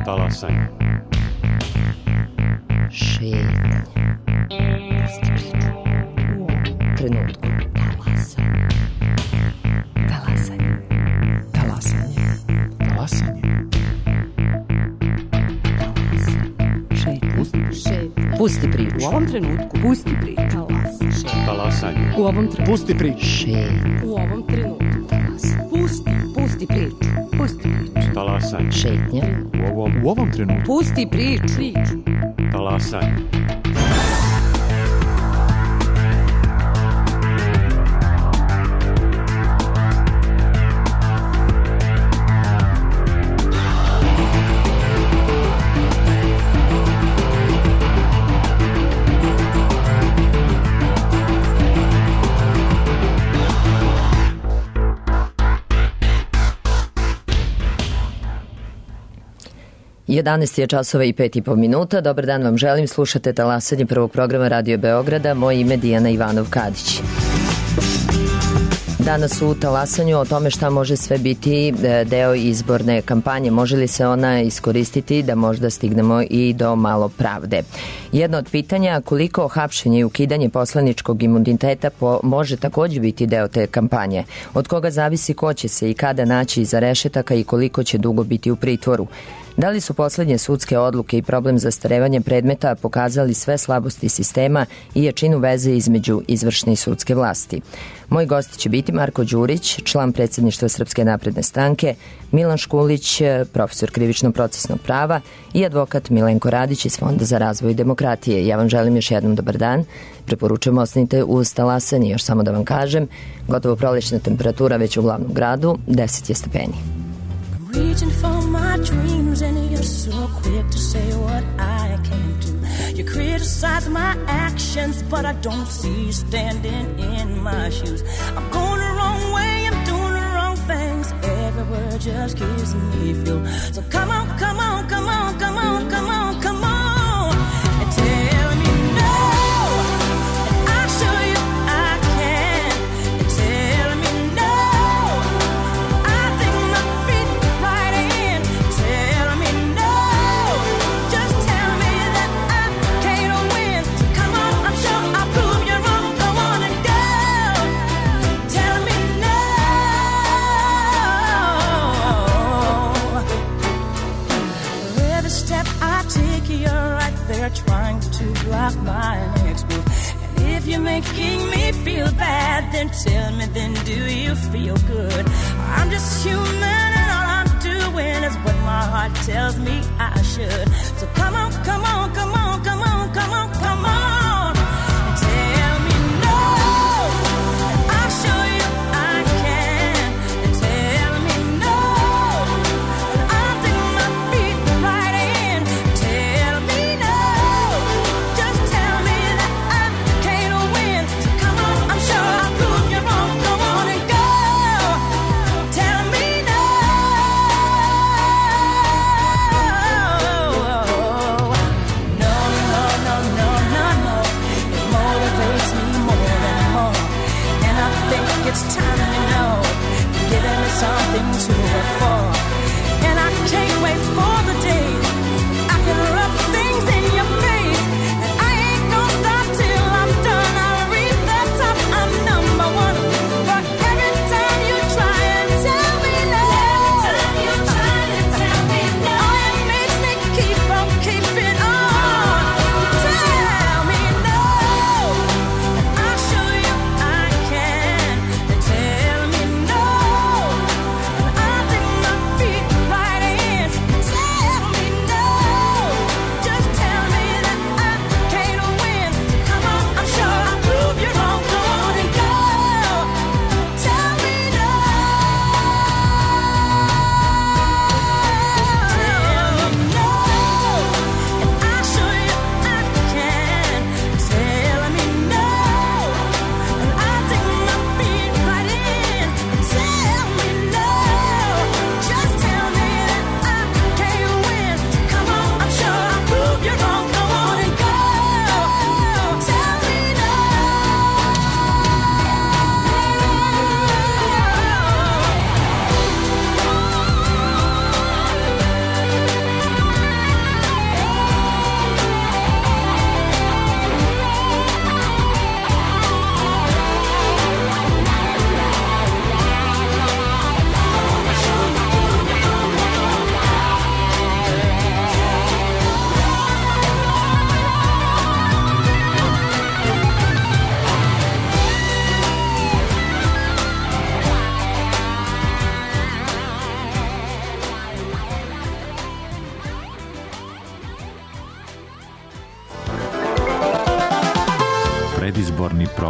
Talasanje. Šetnje. Pusti priču. U ovom trenutku. Talasanje. Talasanje. Talasanje. Talasanje. Šetnje. Pusti priču. U ovom trenutku. Pusti priču. Talasanje. U ovom trenutku. Pusti priču. Šetnje. U ovom trenutku. Pusti priču. Pusti priču. Talasanje. Šetnja. U ovom trenutku. Pusti priču. Talasanje. Jedanaest je časova i 5,5 minuta. Dobar dan vam želim. Slušate Talasanje prvog programa Radio Beograda. Moje ime Dijana Ivanov-Kadić. Danas u Talasanju o tome šta može sve biti deo izborne kampanje. Može li se ona iskoristiti da možda stignemo i do malo pravde. Jedno od pitanja, koliko hapšenje i ukidanje poslaničkog imuniteta može takođe biti deo te kampanje. Od koga zavisi ko će se i kada naći iza rešetaka i koliko će dugo biti u pritvoru. Da li su poslednje sudske odluke i problem zastarevanja predmeta pokazali sve slabosti sistema i jačinu veze između izvršne i sudske vlasti? Moji gosti će biti Marko Đurić, član predsjedništva Srpske napredne stranke, Milan Škulić, profesor krivično-procesnog prava i advokat Milenko Radić iz Fonda za razvoj demokratije. Ja vam želim još jednom dobar dan. Preporučujem ostanite uz Talasanje. Još samo da vam kažem, gotovo prolećna temperatura već u glavnom gradu, 10 je stepeni. Reaching for my dreams and you're so quick to say what I can't do. You criticize my actions, but I don't see you standing in my shoes. I'm going the wrong way, I'm doing the wrong things. Every word just gives me fuel. So come on, come on, come on, come on, come on, come on, and tell me no, and I'll show you I can. And tell me no. Trying to block my next move. And if you're making me feel bad, then tell me, then do you feel good? I'm just human and all I'm doing is what my heart tells me I should. So come on, come on, come on, come on, come on, come on, and tell me no, and I'll show you I can. And tell me no, and I'll take my feet right in. Tell me no. It's time to know you're giving me something to work for. And I can't wait for the day I can rub things in your face. And I ain't gonna stop till I'm done. I'll reach the top, I'm number one. But every time you try and tell me no, every time you try and tell me no, oh, it makes me keep on keeping on. Tell me no, and I'll show you I can. Tell me no, and I'll take my feet right in.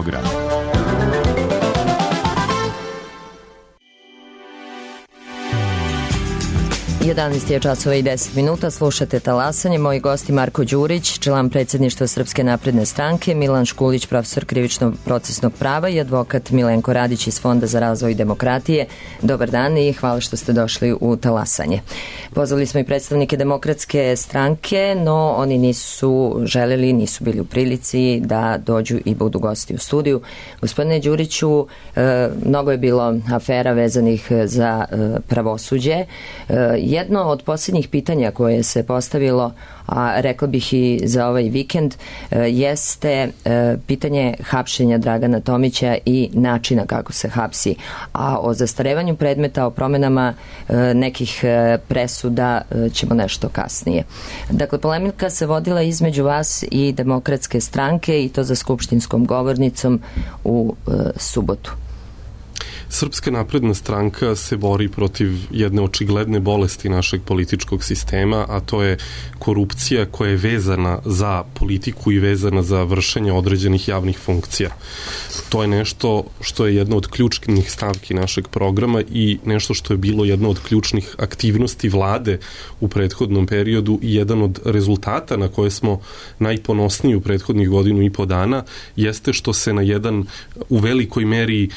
program. 11 je časova i 10 minuta, slušate Talasanje. Moji gosti Marko Đurić, član predsjedništva Srpske napredne stranke, Milan Škulić, profesor krivičnog procesnog prava i advokat Milenko Radić iz Fonda za razvoj demokratije. Dobar dan i hvala što ste došli u Talasanje. Pozvali smo i predstavnike Demokratske stranke, no oni nisu želeli, nisu bili u prilici da dođu i budu gosti u studiju. Gospodine Đuriću, mnogo je bilo afera vezanih za pravosuđe. Jedno od posljednjih pitanja koje se postavilo, a rekla bih i za ovaj vikend, jeste pitanje hapšenja Dragana Tomića i načina kako se hapsi. A o zastarevanju predmeta, o promenama nekih presuda ćemo nešto kasnije. Dakle, polemika se vodila između vas i Demokratske stranke i to za skupštinskom govornicom u subotu. Srpska napredna stranka se bori protiv jedne očigledne bolesti našeg političkog sistema, a to je korupcija koja je vezana za politiku i vezana za vršenje određenih javnih funkcija. To je nešto što je jedna od ključnih stavki našeg programa i nešto što je bilo jedna od ključnih aktivnosti vlade u prethodnom periodu i jedan od rezultata na koje smo najponosniji u prethodnih godinu i po dana jeste što se na jedan u velikoj meri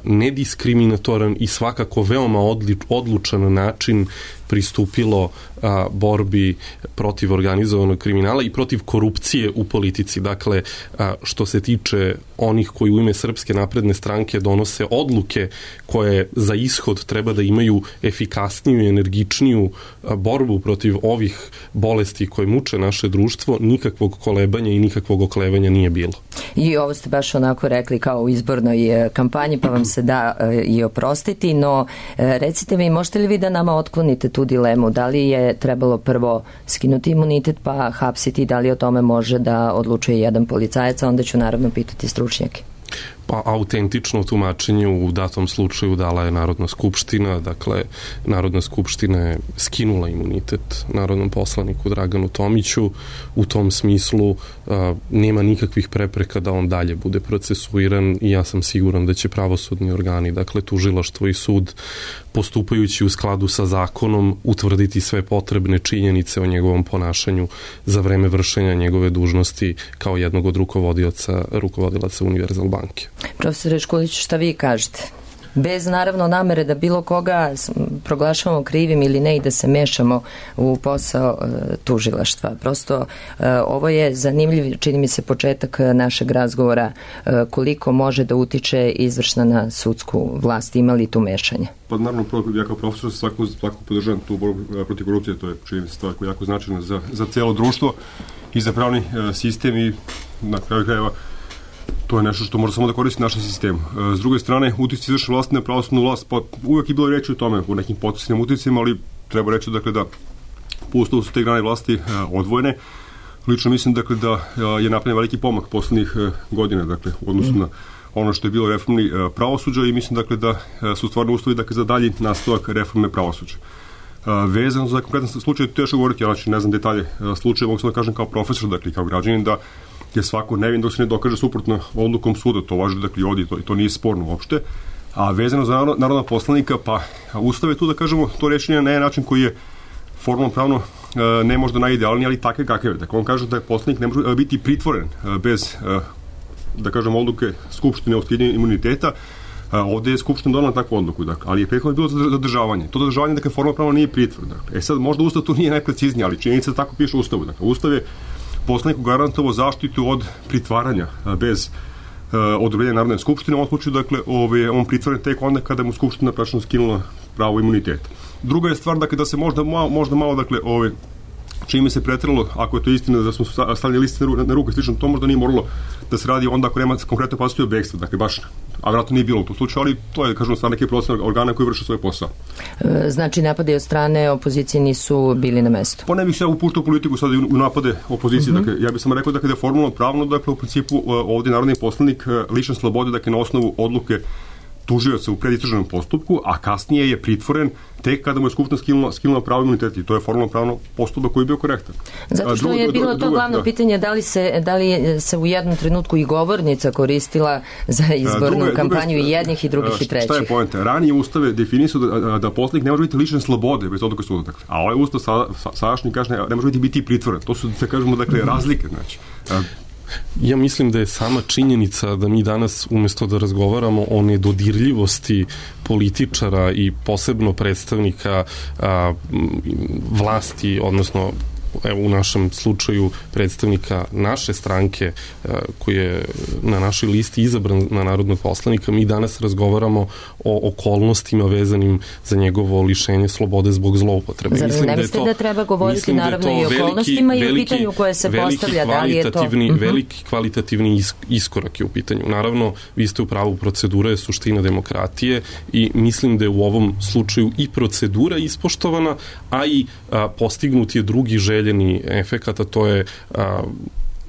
nediskriminatoran i svakako veoma odlučan način pristupilo borbi protiv organizovanog kriminala i protiv korupcije u politici. Dakle, što se tiče onih koji u ime Srpske napredne stranke donose odluke koje za ishod treba da imaju efikasniju i energičniju borbu protiv ovih bolesti koje muče naše društvo, nikakvog kolebanja i nikakvog oklevanja nije bilo. I ovo ste baš onako rekli kao u izbornoj kampanji, pa vam se da i oprostiti, no recite mi, možete li vi da nama otklonite tu dilemu? Da li je trebalo prvo skinuti imunitet pa hapsiti, da li o tome može da odlučuje jedan policajac, a onda ću naravno pitati stručnjake. Pa autentično tumačenje u datom slučaju dala je Narodna skupština, dakle Narodna skupština je skinula imunitet narodnom poslaniku Draganu Tomiću, u tom smislu nema nikakvih prepreka da on dalje bude procesuiran i ja sam siguran da će pravosudni organi, dakle tužilaštvo i sud, postupajući u skladu sa zakonom, utvrditi sve potrebne činjenice o njegovom ponašanju za vreme vršenja njegove dužnosti kao jednog od rukovodilaca Univerzal banke. Profesore Škulić, šta vi kažete? Bez naravno namere da bilo koga proglašavamo krivim ili ne i da se mešamo u posao tužilaštva. Prosto ovo je zanimljiv, čini mi se, početak našeg razgovora koliko može da utiče izvršna na sudsku vlast. Ima li tu mešanja? Pa naravno, ja kao profesor svako podržavam tu borbu protiv korupcije, to je čini mi se stvar koja je jako značajna za cijelo društvo i za pravni sistem i na kraju krajeva to je nešto što može samo da koristi našem sistemu. S druge strane, uticaj izvršne vlasti na pravosudnu vlast, pa uvijek je bilo reći o tome u nekim potencijalnim uticajima, ali treba reći dakle, da po Ustavu su te grane vlasti odvojene. Lično mislim dakle, da je napravljen veliki pomak poslednjih godina, dakle, u odnosu na ono što je bilo reformni pravosuđa i mislim dakle, da su stvarno uslovi dakle, za dalji nastavak reforme pravosuđa. Vezano za konkretan slučaj, teško govoriti, ja ne znam detalje slučaja, mogu sam da kažem kao profesor, dakle, kao građanin, da je svako nevin dok se ne dokaže suprotno odlukom suda, to važi dakle ovdje, to nije sporno uopšte. A vezano za narodna poslanika, pa Ustav je tu da kažemo to rešenje na jedan način koji je formalno pravno ne možda najidealniji, ali takve kakve je. Dakle, on kaže da je poslanik ne može biti pritvoren bez, da kažem, odluke Skupštine o skidanju imuniteta. Ovdje je Skupština donala takvu odluku, dakle, ali je prethodno bilo zadržavanje. To zadržavanje, dakle, formalno pravno nije pritvor. Dakle. Sad, možda Ustav tu nije najprecizniji, ali činjenica da tako piše u Ustavu. Dakle, Ustav je poslaniku garantovao zaštitu od pritvaranja bez odobrenja Narodne skupštine. U ovom slučaju, dakle, on pritvoren tek onda kada mu Skupština praktično skinula pravo imuniteta. Druga je stvar, dakle, da se možda malo, dakle, čime se pretralo, ako je to istina da smo stavljali liste na ruke, slično, to možda nije moralo da se radi onda ako nema konkretno opasnosti od bekstva, dakle, baš, a vjerojatno nije bilo u tom slučaju, ali to je, kažemo, stvar neke procesne organa koji vrše svoj posao. Znači, napade od strane opozicije nisu bili na mestu? Pa ne bih se upuštao politiku sad u napade opozicije, dakle, ja bih samo rekao dakle, da je formalno pravno, dakle, u principu ovdje narodni poslanik lišen slobode, dakle, na osnovu odluke tužioca u predistražnom postupku, a kasnije je pritvoren tek kada mu je Skupština skinula pravo imunitet i to je formalno pravno postupak koji je bio korektan. Zato što je bilo to glavno pitanje da li se u jednom trenutku i govornica koristila za izbornu kampanju i jednih i drugih i trećih. Šta je poenta? Ranije ustave definisao da poslanik ne može biti lišen slobode bez odluke suda. A ovaj ustav sadašnji kaže ne može biti pritvoren. To su, da kažemo, razlike. Znači. Ja mislim da je sama činjenica da mi danas umesto da razgovaramo o nedodirljivosti političara i posebno predstavnika vlasti, odnosno u našem slučaju predstavnika naše stranke koji je na našoj listi izabran na narodnog poslanika, mi danas razgovaramo o okolnostima vezanim za njegovo lišenje slobode zbog zloupotrebe. Zar ne mislite da treba govoriti naravno i o okolnostima i o pitanju koje se postavlja, da li je to? Veliki kvalitativni iskorak je u pitanju. Naravno, vi ste u pravu, procedura je suština demokratije i mislim da je u ovom slučaju i procedura ispoštovana, a i postignut je drugi željeni efekat, a to je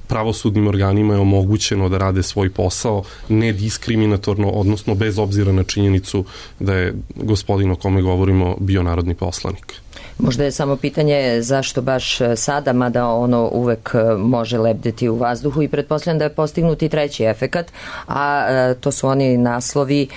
pravosudnim organima je omogućeno da rade svoj posao nediskriminatorno, odnosno bez obzira na činjenicu da je gospodin o kome govorimo bio narodni poslanik. Možda je samo pitanje zašto baš sada, mada ono uvek može lebdeti u vazduhu i pretpostavljam da je postignut i treći efekat, a to su oni naslovi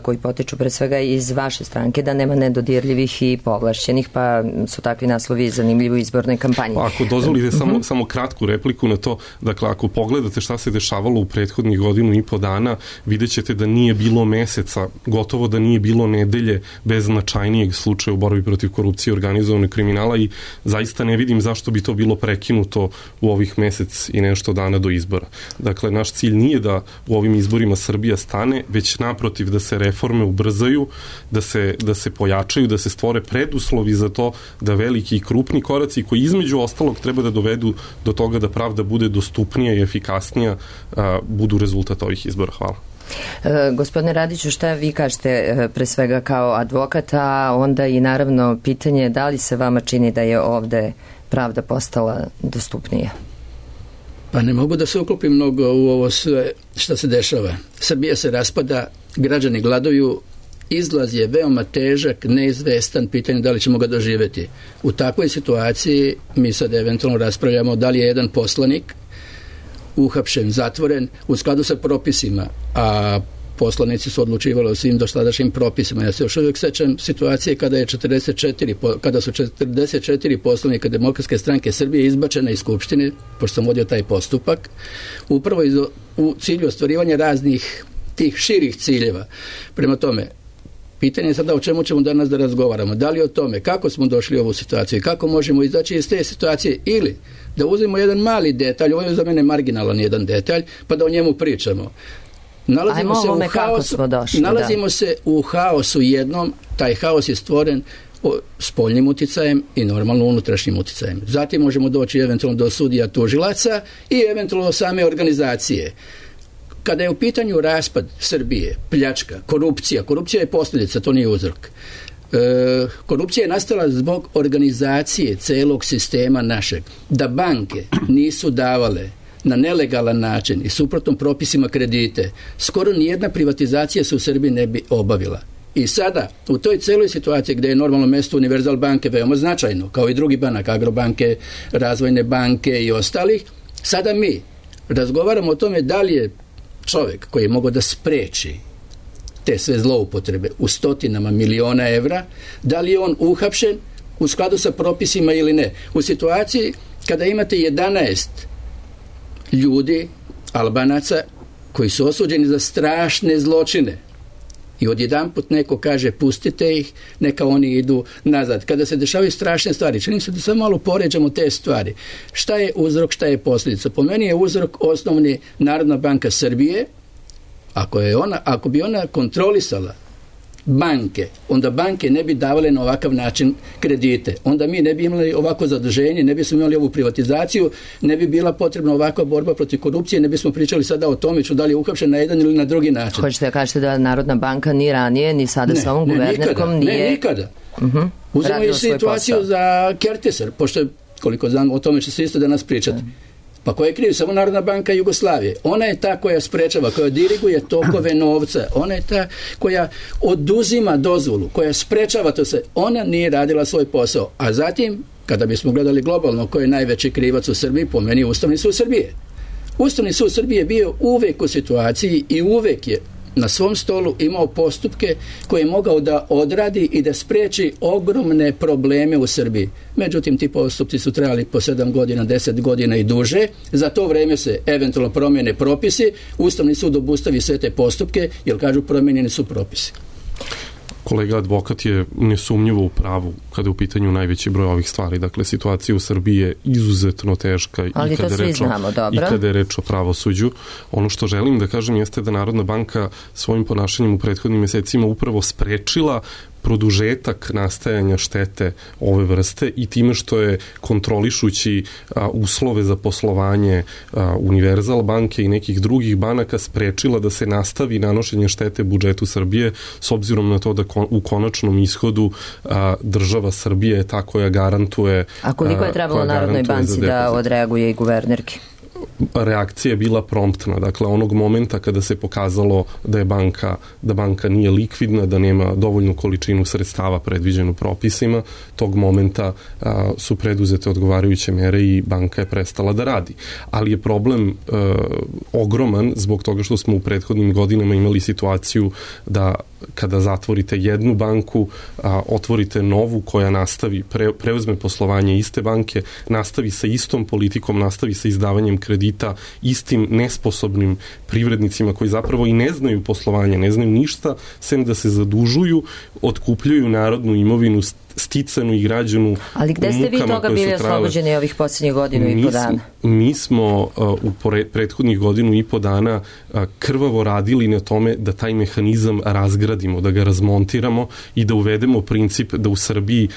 koji potiču pre svega iz vaše stranke, da nema nedodirljivih i povlašćenih, pa su takvi naslovi zanimljivi u izbornoj kampanji. Ako dozvolite samo kratku repliku na to, dakle ako pogledate šta se dešavalo u prethodnih godinu i po dana, vidjet ćete da nije bilo meseca, gotovo da nije bilo nedelje bez značajnijeg slučaja u borbi protiv korupcije, organizovanog kriminala i zaista ne vidim zašto bi to bilo prekinuto u ovih mesec i nešto dana do izbora. Dakle, naš cilj nije da u ovim izborima Srbija stane, već naprotiv da se reforme ubrzaju, da se pojačaju, da se stvore preduslovi za to da veliki i krupni koraci koji između ostalog treba da dovedu do toga da pravda bude dostupnija i efikasnija budu rezultat ovih izbora. Hvala. Gospodine Radiću, šta vi kažete pre svega kao advokat, a onda i naravno pitanje da li se vama čini da je ovde pravda postala dostupnija? Pa ne mogu da se uklopim mnogo u ovo sve što se dešava. Srbija se raspada, građani gladuju, izlaz je veoma težak, neizvestan, pitanje da li ćemo ga doživeti. U takvoj situaciji mi sad eventualno raspravljamo da li je jedan poslanik uhapšen, zatvoren u skladu sa propisima, a poslanici su odlučivali o svim dosadašnjim propisima. Ja se još uvijek sećam situacije kada su 44 poslanika Demokratske stranke Srbije izbačena iz Skupštine, pošto sam vodio taj postupak, upravo u cilju ostvarivanja raznih tih širih ciljeva. Prema tome, pitanje je sada o čemu ćemo danas da razgovaramo. Da li o tome kako smo došli u ovu situaciju i kako možemo izaći iz te situacije, ili da uzmemo jedan mali detalj, ovo je za mene marginalan jedan detalj, pa da o njemu pričamo. Nalazimo se u haosu jednom, taj haos je stvoren spoljnim uticajem i normalno unutrašnjim uticajem. Zatim možemo doći eventualno do sudija, tužilaca i eventualno do same organizacije. Kada je u pitanju raspad Srbije, pljačka, korupcija je posljedica, to nije uzrok. Korupcija je nastala zbog organizacije celog sistema našeg. Da banke nisu davale na nelegalan način i suprotnom propisima kredite, skoro nijedna privatizacija se u Srbiji ne bi obavila. I sada, u toj celoj situaciji gdje je normalno mesto Univerzal banke veoma značajno, kao i drugi banak, Agrobanke, Razvojne banke i ostalih, sada mi razgovaramo o tome da li je čovjek koji je mogao da spreči te sve zloupotrebe u stotinama miliona evra, da li je on uhapšen u skladu sa propisima ili ne. U situaciji kada imate 11 ljudi, Albanaca, koji su osuđeni za strašne zločine i odjedanput neko kaže pustite ih, neka oni idu nazad. Kada se dešavaju strašne stvari, čini se da samo malo poređamo te stvari. Šta je uzrok, šta je posljedica? Po meni je uzrok osnovni Narodna banka Srbije. Ako bi ona kontrolisala banke, onda banke ne bi davale na ovakav način kredite. Onda mi ne bi imali ovako zaduženje, ne bismo imali ovu privatizaciju, ne bi bila potrebna ovakva borba protiv korupcije, ne bismo pričali sada o tome da li je uhapšen na jedan ili na drugi način. Hoćete da kažete da Narodna banka ni ranije, ni sada sa ovom guvernerkom nije... Ne, nikada. Uzmemo i situaciju za Kertesar, pošto koliko znam, o tome će se isto danas pričati. Pa ko je kriv? Samo Narodna banka Jugoslavije. Ona je ta koja sprečava, koja diriguje tokove novca. Ona je ta koja oduzima dozvolu, koja sprečava to sve. Ona nije radila svoj posao. A zatim, kada bismo gledali globalno ko je najveći krivac u Srbiji, po meni Ustavni sud Srbije. Ustavni sud Srbije je bio uvek u situaciji i uvek je na svom stolu imao postupke koje je mogao da odradi i da spreči ogromne probleme u Srbiji. Međutim, ti postupci su trajali po 7 godina, 10 godina i duže. Za to vreme se eventualno promijene propisi, Ustavni sud obustavi sve te postupke, jer kažu promijenjeni su propisi. Kolega advokat je nesumnjivo u pravu kada je u pitanju najveći broj ovih stvari. Dakle, situacija u Srbiji je izuzetno teška i kada je reč o pravosuđu. Ono što želim da kažem jeste da Narodna banka svojim ponašanjem u prethodnim mjesecima upravo sprečila produžetak nastajanja štete ove vrste i time što je kontrolišući uslove za poslovanje Univerzal banke i nekih drugih banaka sprečila da se nastavi nanošenje štete budžetu Srbije, s obzirom na to da u konačnom ishodu država Srbije je ta koja garantuje. A koliko je trebalo Narodnoj banci da odreaguje i guvernerki? Reakcija je bila promptna. Dakle, onog momenta kada se pokazalo da je banka nije likvidna, da nema dovoljnu količinu sredstava predviđenu propisima, tog momenta su preduzete odgovarajuće mere i banka je prestala da radi. Ali je problem ogroman zbog toga što smo u prethodnim godinama imali situaciju da kada zatvorite jednu banku, otvorite novu koja nastavi, preuzme poslovanje iste banke, nastavi sa istom politikom, nastavi sa izdavanjem kredita istim nesposobnim privrednicima koji zapravo i ne znaju poslovanje, ne znaju ništa, sem da se zadužuju, otkupljuju narodnu imovinu sticanu i građanu. Ali gde ste vi toga bili oslobođeni ovih posljednjih godinu i po dana? Mi smo u prethodnih godinu i po dana krvavo radili na tome da taj mehanizam razgradimo, da ga razmontiramo i da uvedemo princip da u Srbiji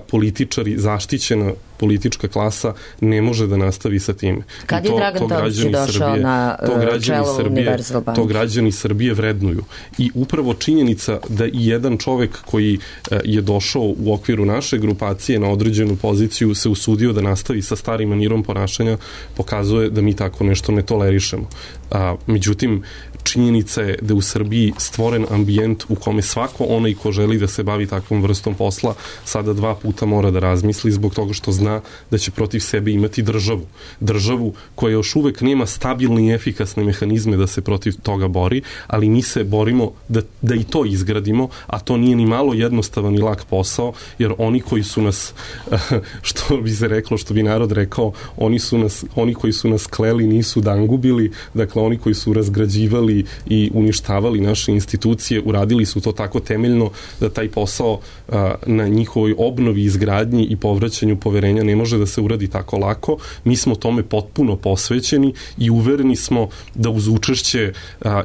političari, zaštićena politička klasa ne može da nastavi sa tim. Kad je Dragan Tomić došao na čelo Univerzal banke? To građani Srbije vrednuju. I upravo činjenica da i jedan čovek koji je došao u okviru naše grupacije na određenu poziciju se usudio da nastavi sa starim manirom ponašanja pokazuje da mi tako nešto ne tolerišemo. Međutim, činjenica je da u Srbiji stvoren ambijent u kome svako onaj ko želi da se bavi takvom vrstom posla sada 2 puta mora da razmisli zbog toga što zna da će protiv sebe imati državu. Državu koja još uvek nema stabilne i efikasne mehanizme da se protiv toga bori, ali mi se borimo da i to izgradimo, a to nije ni malo jednostavan i lak posao, jer oni koji su nas, što bi se reklo, što bi narod rekao, oni koji su nas kleli nisu dangubili, dakle oni koji su razgrađivali i uništavali naše institucije, uradili su to tako temeljno da taj posao na njihovoj obnovi, izgradnji i povraćanju poverenja ne može da se uradi tako lako. Mi smo tome potpuno posvećeni i uvereni smo da uz učešće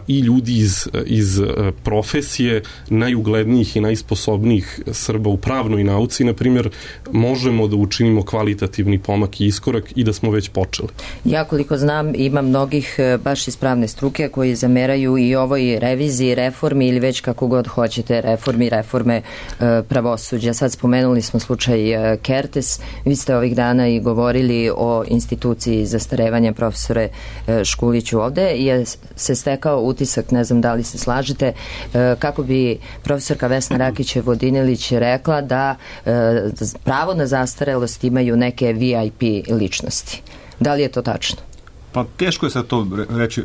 i ljudi iz profesije najuglednijih i najsposobnijih Srba u pravnoj nauci, na primjer, možemo da učinimo kvalitativni pomak i iskorak i da smo već počeli. Ja koliko znam, ima mnogih baš iz pravne struke koji zameraju i ovoj reviziji, reformi ili već kako god hoćete reforme pravosuđa. Sad spomenuli smo slučaj Kertes. Vi ste ovih dana i govorili o instituciji zastarevanja, profesore Škuliću. Ovde je se stekao utisak, ne znam da li se slažete, kako bi profesorka Vesna Rakić-Vodinilić rekla da pravo na zastarelost imaju neke VIP ličnosti. Da li je to tačno? Pa teško je sad to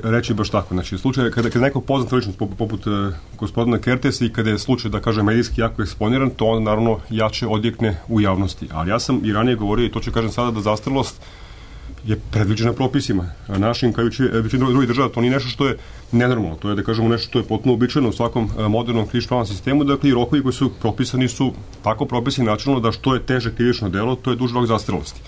reći baš tako. Znači, slučaj kada neko poznata ličnost poput gospodina Kertesa i kada je slučaj, da kažem, medijski jako eksponiran, to on naravno jače odjekne u javnosti. Ali ja sam i ranije govorio i to ću kažem sada da zastarelost je predviđena propisima. A našim, kao i većini drugih država, to nije nešto što je nenormalno. To je, da kažemo, nešto što je potpuno običajno u svakom modernom krivično-pravnom sistemu. Dakle, i rokovi koji su propisani su tako propisani načelno da što je teže krivično delo, to je duži rok zastarelosti.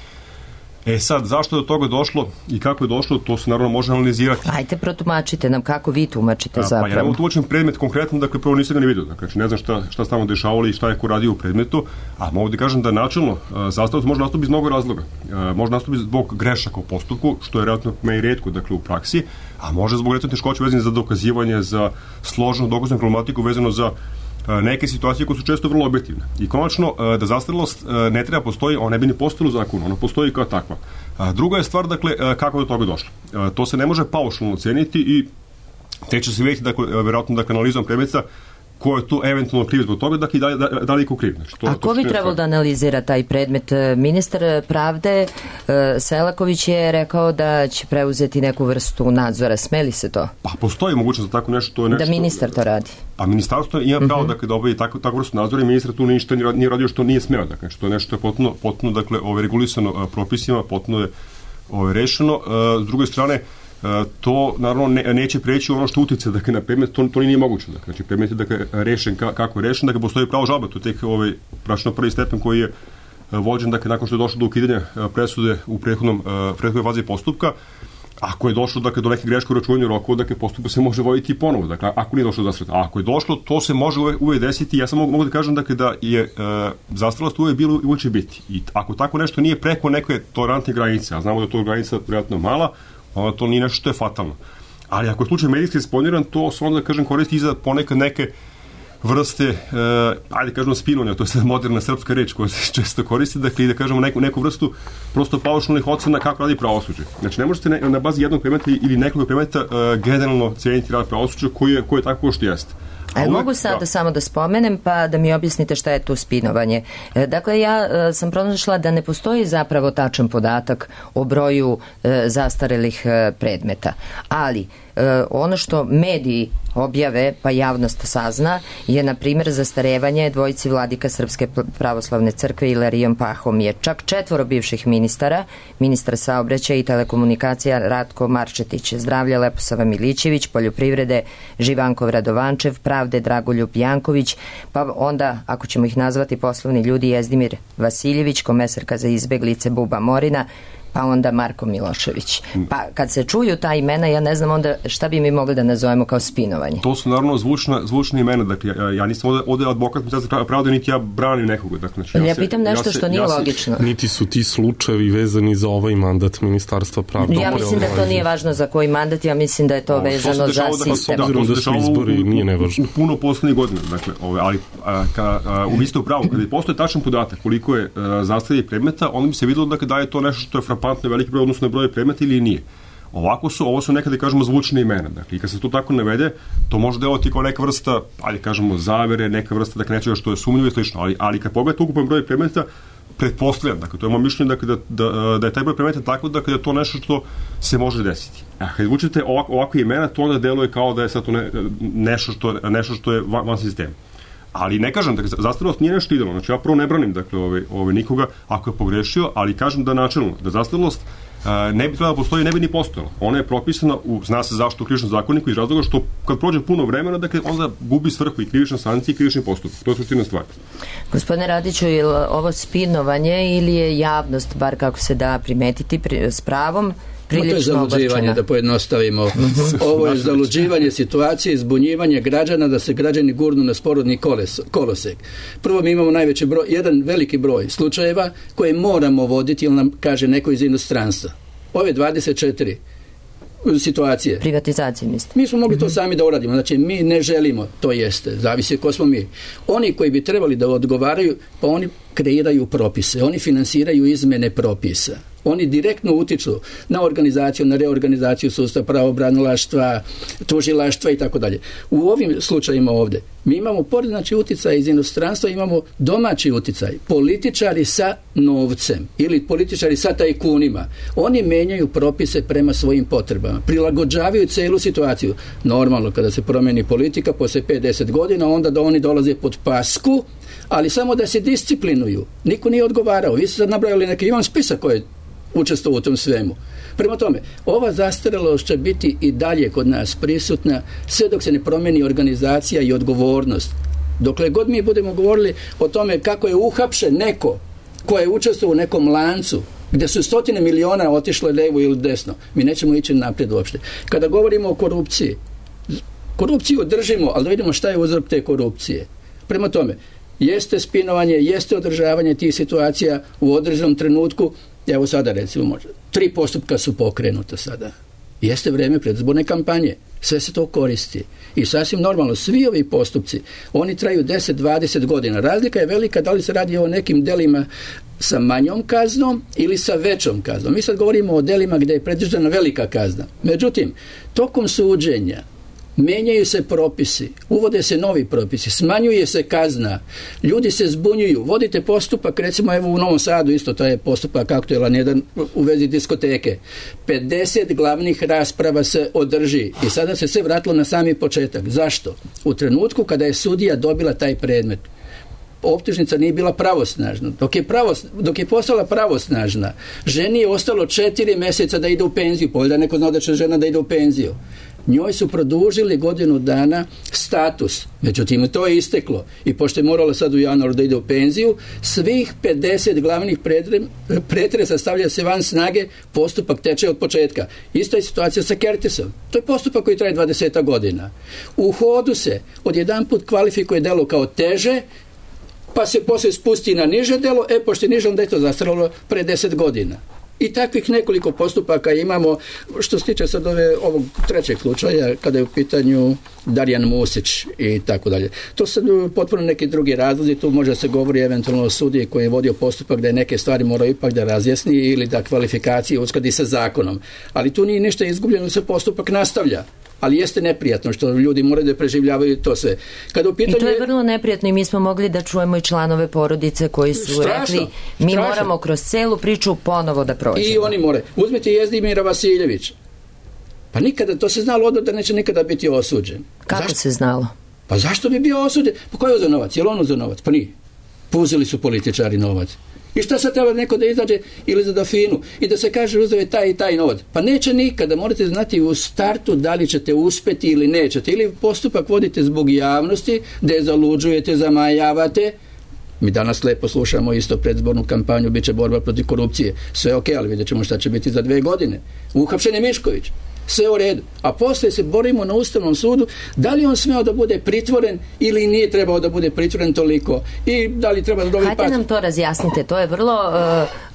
Sad, zašto je do toga došlo i kako je došlo, to se naravno može analizirati. Ajte, protumačite nam kako vi tumačite zapravo. Pa ja ne tumačim predmet konkretno, dakle, prvo nisam ga ne vidio. Dakle, ne znam šta stavno dešavalo i šta je ko radio u predmetu, a mogu da kažem da načelno zastarelost može nastupiti iz mnogo razloga. Može nastupiti zbog grešaka u postupku, što je relativno me i retko, dakle, u praksi, a može zbog recimo teškoće vezane za dokazivanje, za složenu dokaznu problematiku vezano za neke situacije koje su često vrlo objektivne. I konačno, da zastarelost ne treba postoji, ona ne bi ni postojala u zakonu, ona postoji kao takva. Druga je stvar, dakle, kako je do toga došlo. To se ne može paušalno oceniti i tek će se vidjeti, dakle, verovatno, dakle, analizom predmeta ko je tu eventualno kriv zbog toga, dakle, da li je ko kriv. Znači, a ko bi trebalo da analizira taj predmet? Ministar pravde Selaković je rekao da će preuzeti neku vrstu nadzora. Smeli se to? Pa postoji mogućnost da tako nešto. To je nešto da ministar to radi? Pa ministarstvo ima pravo dakle, da obavi takvu vrstu nadzora i ministar tu ništa nije radio što nije smeo. Dakle, što je nešto potpuno dakle, regulisano propisima, potpuno je rešeno. S druge strane, to naravno neće preći ono što utiče dakle, na predmet, to nije moguće. Dakle, znači predmet je dakle, rešen kako je rešen, dakle postoji pravo žalbe, to je tek pračno prvi stepen koji je vođen dakle, nakon što je došlo do ukidanja presude u prethodnoj fazi postupka. Ako je došlo dakle, do neke greške u računanju rokova, dakle postupak se može voditi i ponovo. Dakle, ako nije došlo do zastarelosti. A ako je došlo, to se može uvijek desiti. Ja samo mogu da kažem dakle, da je zastarelost uvijek bilo i uvijek će biti. I ako tako nešto nije preko neke tolerantne granice, a znamo da je to granica vjerojatno mala, onda to nije nešto što je fatalno. Ali ako je slučaj medijski eksponiran, to se onda, da kažem, koristi i za ponekad neke vrste, ajde kažemo spinovanja, to je sad moderna srpska reč koja se često koristi, dakle i da kažemo neku vrstu prosto paušalnih ocena kako radi pravosuđe. Znači ne možete na bazi jednog predmeta ili nekoliko predmeta generalno cijeniti rad pravosuđa koji je tako što jeste. Mogu sada samo da spomenem pa da mi objasnite šta je to spinovanje. Dakle, ja sam pronašla da ne postoji zapravo tačan podatak o broju zastarelih predmeta, ali ono što mediji objave pa javnost sazna je na primjer zastarevanje dvojici vladika Srpske pravoslavne crkve Ilarijom Pahom je čak 4 bivših ministara, ministar saobraćaja i telekomunikacija Ratko Marčetić, zdravlja Leposava Milićević, poljoprivrede Živankov Radovančev, pravde Dragoljub Janković, pa onda ako ćemo ih nazvati poslovni ljudi Jezdimir Vasiljević, komesarka za izbeglice Buba Morina, pa onda Marko Milošević. Pa kad se čuju ta imena, ja ne znam onda šta bi mi mogli da nazovemo kao spinovanje. To su naravno zvučne imena, dakle ja nisam ovdje advokat pravde, niti ja branim nekoga. Dakle, znači, ja pitam nešto što nije logično. Niti su ti slučajevi vezani za ovaj mandat Ministarstva pravde. Ja mislim da to nije važno za koji mandat, ja mislim da je to vezano za sistem. Obzirom da su izbori, nije nevažno. Puno poslednjih godina, dakle, ali vi ste u pravu, kada postoje tačan podatak koliko je zastarelih predmeta, onda bi se videlo da je to nešto što je frapantno veliki broj odnosno broj predmeta ili nije. Ovo su nekada, kažemo, zvučne imena. Dakle, i kad se to tako navede, to može delovati kao neka vrsta, ajde kažemo, zavere, neka vrsta, dakle, nečega što je sumnjivo i slično. Ali kad pogledate ukupan broj predmeta, pretpostavljam, dakle, to je moje mišljenje, dakle, da je taj broj predmeta tako, dakle, da je to nešto što se može desiti. A kad zvučite ovakve imena, to onda deluje kao da je sad to nešto što je van sistema. Ali ne kažem, dakle, zastarelost nije nešto idealno. Znači, ja prvo ne branim, dakle, nikoga ako je pogrešio, ali kažem da načelno, da zastarelost ne bi trebala da postoji, ne bi ni postojala. Ona je propisana zna se zašto u krivičnom zakoniku iz razloga što kad prođe puno vremena, dakle, onda gubi svrhu i krivična sankcija i krivični postupak. To je suština stvar. Gospodine Radiću, je li ovo spinovanje ili je javnost, bar kako se da primetiti s pravom, to je zaluđivanje, da pojednostavimo. Ovo je zaluđivanje situacije, izbunjivanje građana da se građani gurnu na sporodni kolosek. Prvo mi imamo najveći broj, jedan veliki broj slučajeva koje moramo voditi, ili nam kaže neko iz inostranstva. Ove 24 situacije. Privatizacije, mislite? Mi smo mogli to sami da uradimo. Znači, mi ne želimo, to jeste, zavisi ko smo mi. Oni koji bi trebali da odgovaraju, pa oni kreiraju propise, oni finansiraju izmene propisa. Oni direktno utiču na organizaciju, na reorganizaciju sustava pravobranilaštva, tužilaštva i tako dalje. U ovim slučajima ovdje mi imamo pored, znači, uticaj iz inostranstva, imamo domaći uticaj. Političari sa novcem ili političari sa tajkunima. Oni menjaju propise prema svojim potrebama. Prilagođavaju celu situaciju. Normalno, kada se promeni politika, posle 5-10 godina, onda da oni dolaze pod pasku, ali samo da se disciplinuju. Niko nije odgovarao. Vi ste sad nabrajali neki, imam spisak koji učestvovao u tom svemu. Prema tome, ova zastarelost će biti i dalje kod nas prisutna sve dok se ne promeni organizacija i odgovornost. Dokle god mi budemo govorili o tome kako je uhapšen neko ko je učestvovao u nekom lancu gdje su 100 miliona otišle levo ili desno, mi nećemo ići naprijed uopšte. Kada govorimo o korupciji, korupciju držimo, ali da vidimo šta je uzrok te korupcije. Prema tome, jeste spinovanje, jeste održavanje tih situacija u određenom trenutku. Evo sada recimo možda 3 postupka su pokrenuta sada. Jeste vreme predizborne kampanje. Sve se to koristi. I sasvim normalno, svi ovi postupci, oni traju 10-20 godina. Razlika je velika da li se radi o nekim delima sa manjom kaznom ili sa većom kaznom. Mi sad govorimo o delima gdje je predviđena velika kazna. Međutim, tokom suđenja menjaju se propisi, uvode se novi propisi, smanjuje se kazna, ljudi se zbunjuju, vodite postupak, recimo evo u Novom Sadu isto to je postupak aktuelan jedan u vezi diskoteke. 50 glavnih rasprava se održi i sada se sve vratilo na sami početak. Zašto? U trenutku kada je sudija dobila taj predmet, optužnica nije bila pravosnažna. Dok je postala pravosnažna, ženi je ostalo 4 mjeseca da ide u penziju. Povijeda neko znao da će žena da ide u penziju. Njoj su produžili godinu dana status. Međutim, to je isteklo. I pošto je morala sad u januaru da ide u penziju, svih 50 glavnih pretresa stavlja se van snage, postupak teče od početka. Ista je situacija sa Kertisom. To je postupak koji traje 20 godina. U hodu se odjedanput kvalifikuje delo kao teže, pa se poslije spusti na niže delo, pošto je niže, onda je to zastaralo pre 10 godina. I takvih nekoliko postupaka imamo. Što se tiče sad ovog trećeg slučaja, kada je u pitanju Darjan Musić i tako dalje. To su potpuno neki drugi razlozi, tu može se govori eventualno o sudiji koji je vodio postupak da je neke stvari morao ipak da razjasni ili da kvalifikacije uskladi sa zakonom. Ali tu nije ništa izgubljeno, se postupak nastavlja. Ali jeste neprijatno što ljudi moraju da preživljavaju to sve. Kada u pitanju... I to je vrlo neprijatno i mi smo mogli da čujemo i članove porodice koji su rekli mi moramo kroz celu priču ponovo da prođemo. I oni moraju. Uzmite Jezdimira Vasiljevića. Pa nikada, to se znalo odmah da neće nikada biti osuđen. Kako se znalo? Pa zašto bi bio osuđen? Pa ko je uzeo novac? Je li on uzeo novac? Pa nije. Uzeli su političari novac. I šta sad treba neko da izađe ili za Dafinu i da se kaže uzeo je taj i taj novac? Pa neće nikada, morate znati u startu da li ćete uspeti ili nećete. Ili postupak vodite zbog javnosti, dezaluđujete, zamajavate. Mi danas lepo slušamo isto predizbornu kampanju, bit će borba protiv korupcije. Sve ok, ali vidjet ćemo šta će biti za 2 godine. Uhapšen je Mišković. Sve u redu. A poslije se borimo na Ustavnom sudu da li on smeo da bude pritvoren ili nije trebao da bude pritvoren toliko i da li treba da dobije Hajde nam to razjasnite, to je vrlo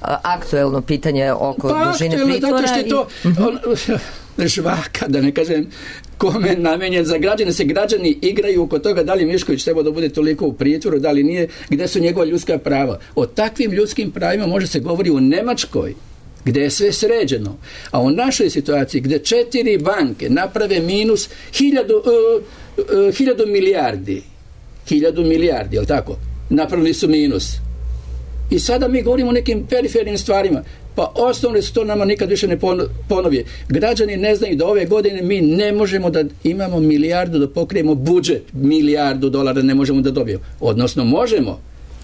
aktuelno pitanje oko dužine pritvora. Zato što je to žvaka, da ne kažem kome namenjen za građane, se građani igraju oko toga da li Mišković treba da bude toliko u pritvoru, da li nije, gde su njegova ljudska prava. O takvim ljudskim pravima može se govori u Nemačkoj, gdje je sve sređeno. A u našoj situaciji, gdje 4 banke naprave minus 1000 milijardi, 1000 milijardi, jel tako? Napravili su minus. I sada mi govorimo o nekim perifernim stvarima. Pa osnovne su to nama nikad više ne ponovi. Građani ne znaju da ove godine mi ne možemo da imamo milijardu da pokrijemo budžet, $1.000.000 ne možemo da dobijemo. Odnosno možemo,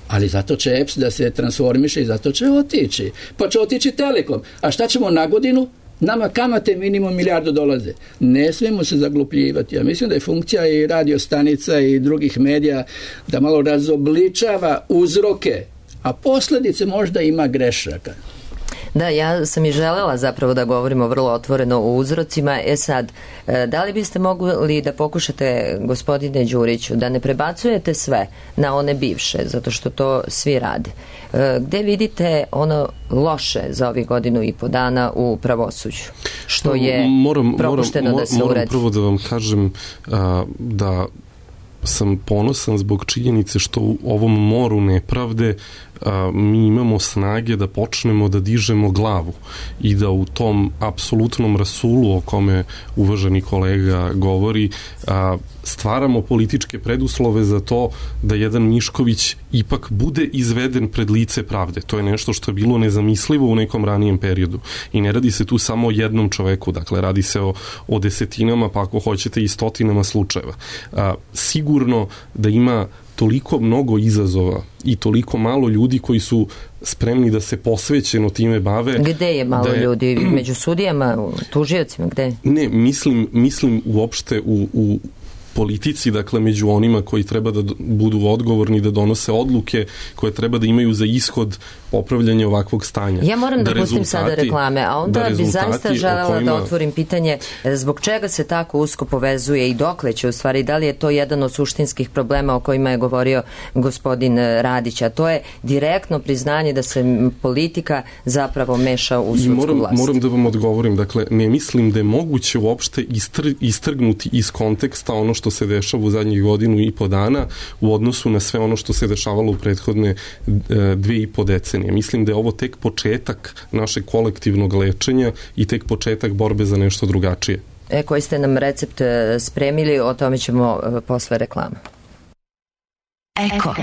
ali zato će EPS da se transformiše i zato će otići. Pa će otići Telekom. A šta ćemo na godinu? Nama kamate minimum $1.000.000. Ne smijemo se zaglupljivati. Ja mislim da je funkcija i radio stanica i drugih medija da malo razobličava uzroke, a posljedice možda ima grešaka. Da, ja sam i želela zapravo da govorimo vrlo otvoreno o uzrocima. Sad, da li biste mogli da pokušate, gospodine Đuriću, da ne prebacujete sve na one bivše, zato što to svi rade. Gde vidite ono loše za ovih 1.5 dana u pravosuđu? Što je propušteno da se uradi? Moram prvo da vam kažem da sam ponosan zbog činjenice što u ovom moru nepravde mi imamo snage da počnemo da dižemo glavu i da u tom apsolutnom rasulu o kome uvaženi kolega govori stvaramo političke preduslove za to da jedan Mišković ipak bude izveden pred lice pravde. To je nešto što je bilo nezamislivo u nekom ranijem periodu. I ne radi se tu samo o jednom čoveku, dakle radi se o desetinama, pa ako hoćete i stotinama slučajeva. Sigurno da ima toliko mnogo izazova i toliko malo ljudi koji su spremni da se posvećeno time bave. Gde je malo ljudi? Među sudijama, tužiocima, gde? Ne, mislim uopšte u politici, dakle među onima koji treba da budu odgovorni, da donose odluke koje treba da imaju za ishod popravljanja ovakvog stanja. Ja moram da pustim sada reklame, a onda bi zaista želela da otvorim pitanje zbog čega se tako usko povezuje i dokle će u stvari, da li je to jedan od suštinskih problema o kojima je govorio gospodin Radić, a to je direktno priznanje da se politika zapravo meša u sudsku vlast. Moram da vam odgovorim, dakle ne mislim da je moguće uopšte istrgnuti iz konteksta ono što se dešava u zadnjih godinu i po dana u odnosu na sve ono što se dešavalo u prethodne 2,5 decenije. Mislim da je ovo tek početak našeg kolektivnog lečenja i tek početak borbe za nešto drugačije. Koji ste nam recept spremili, o tome ćemo posle reklama. Eko.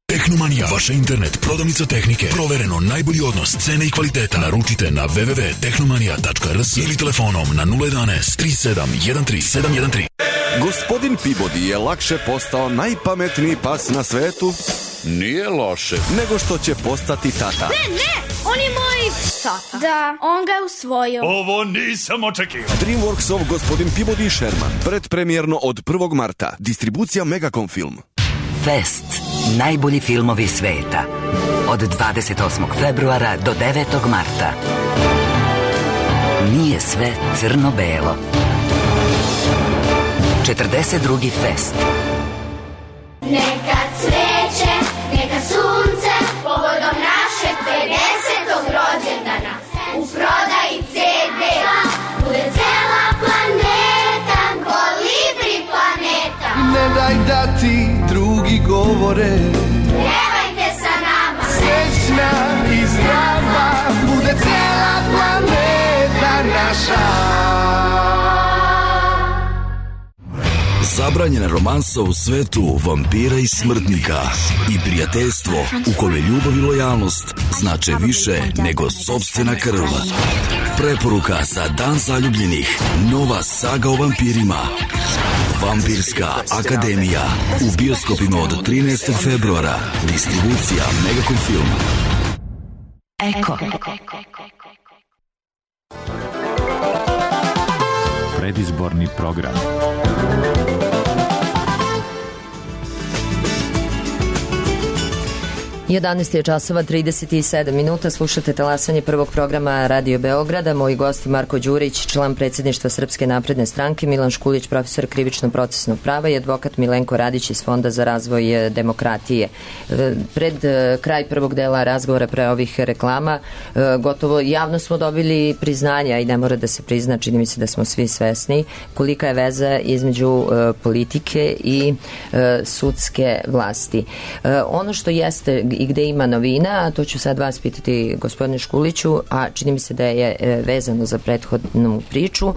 Tehnomanija, vaša internet prodavnica tehnike. Provereno najbolji odnos cene i kvaliteta. Naručite na www.tehnomanija.rs ili telefonom na 011 37 13 713. Gospodin Peabody je lakše postao najpametniji pas na svetu. Nije loše. Nego što će postati tata. Ne, on je moj tata. Da, on ga je usvojio. Ovo nisam očekivao. Dreamworksov Gospodin Peabody i Sherman. Predpremjerno od 1. marta. Distribucija Megacom Film. Fest. Najbolji filmovi sveta. Od 28. februara do 9. marta. Nije sve crno-belo. 42. fest. Neka cveće, neka sunce, povodom našeg 50. rođendana. U prodaji CD-a bude cela planeta, Kolibri planeta. Ne daj da ti drugi govore, pjevajte sa nama. Srećna i zdrava bude cela planeta naša. Zabranjena romansa u svetu vampira i smrtnika i prijateljstvo u kome ljubav i lojalnost znače više nego sopstvena krv. Preporuka za Dan zaljubljenih. Nova saga o vampirima. Vampirska akademija. U bioskopima od 13. februara. Distribucija Megacom Film. Eko. Predizborni program. 11 je časova 37 minuta, slušate talasanje prvog programa Radio Beograda. Moji gosti Marko Đurić, član predsjedništva Srpske napredne stranke, Milan Škulić, profesor krivično-procesnog prava i advokat Milenko Radić iz Fonda za razvoj demokratije. Pred kraj prvog dela razgovora pre ovih reklama, gotovo javno smo dobili priznanja i ne mora da se prizna, čini mi se da smo svi svesni kolika je veza između politike i sudske vlasti. Ono što jeste i gde ima novina, a to ću sad vas pitati gospodine Škuliću, a čini mi se da je vezano za prethodnu priču,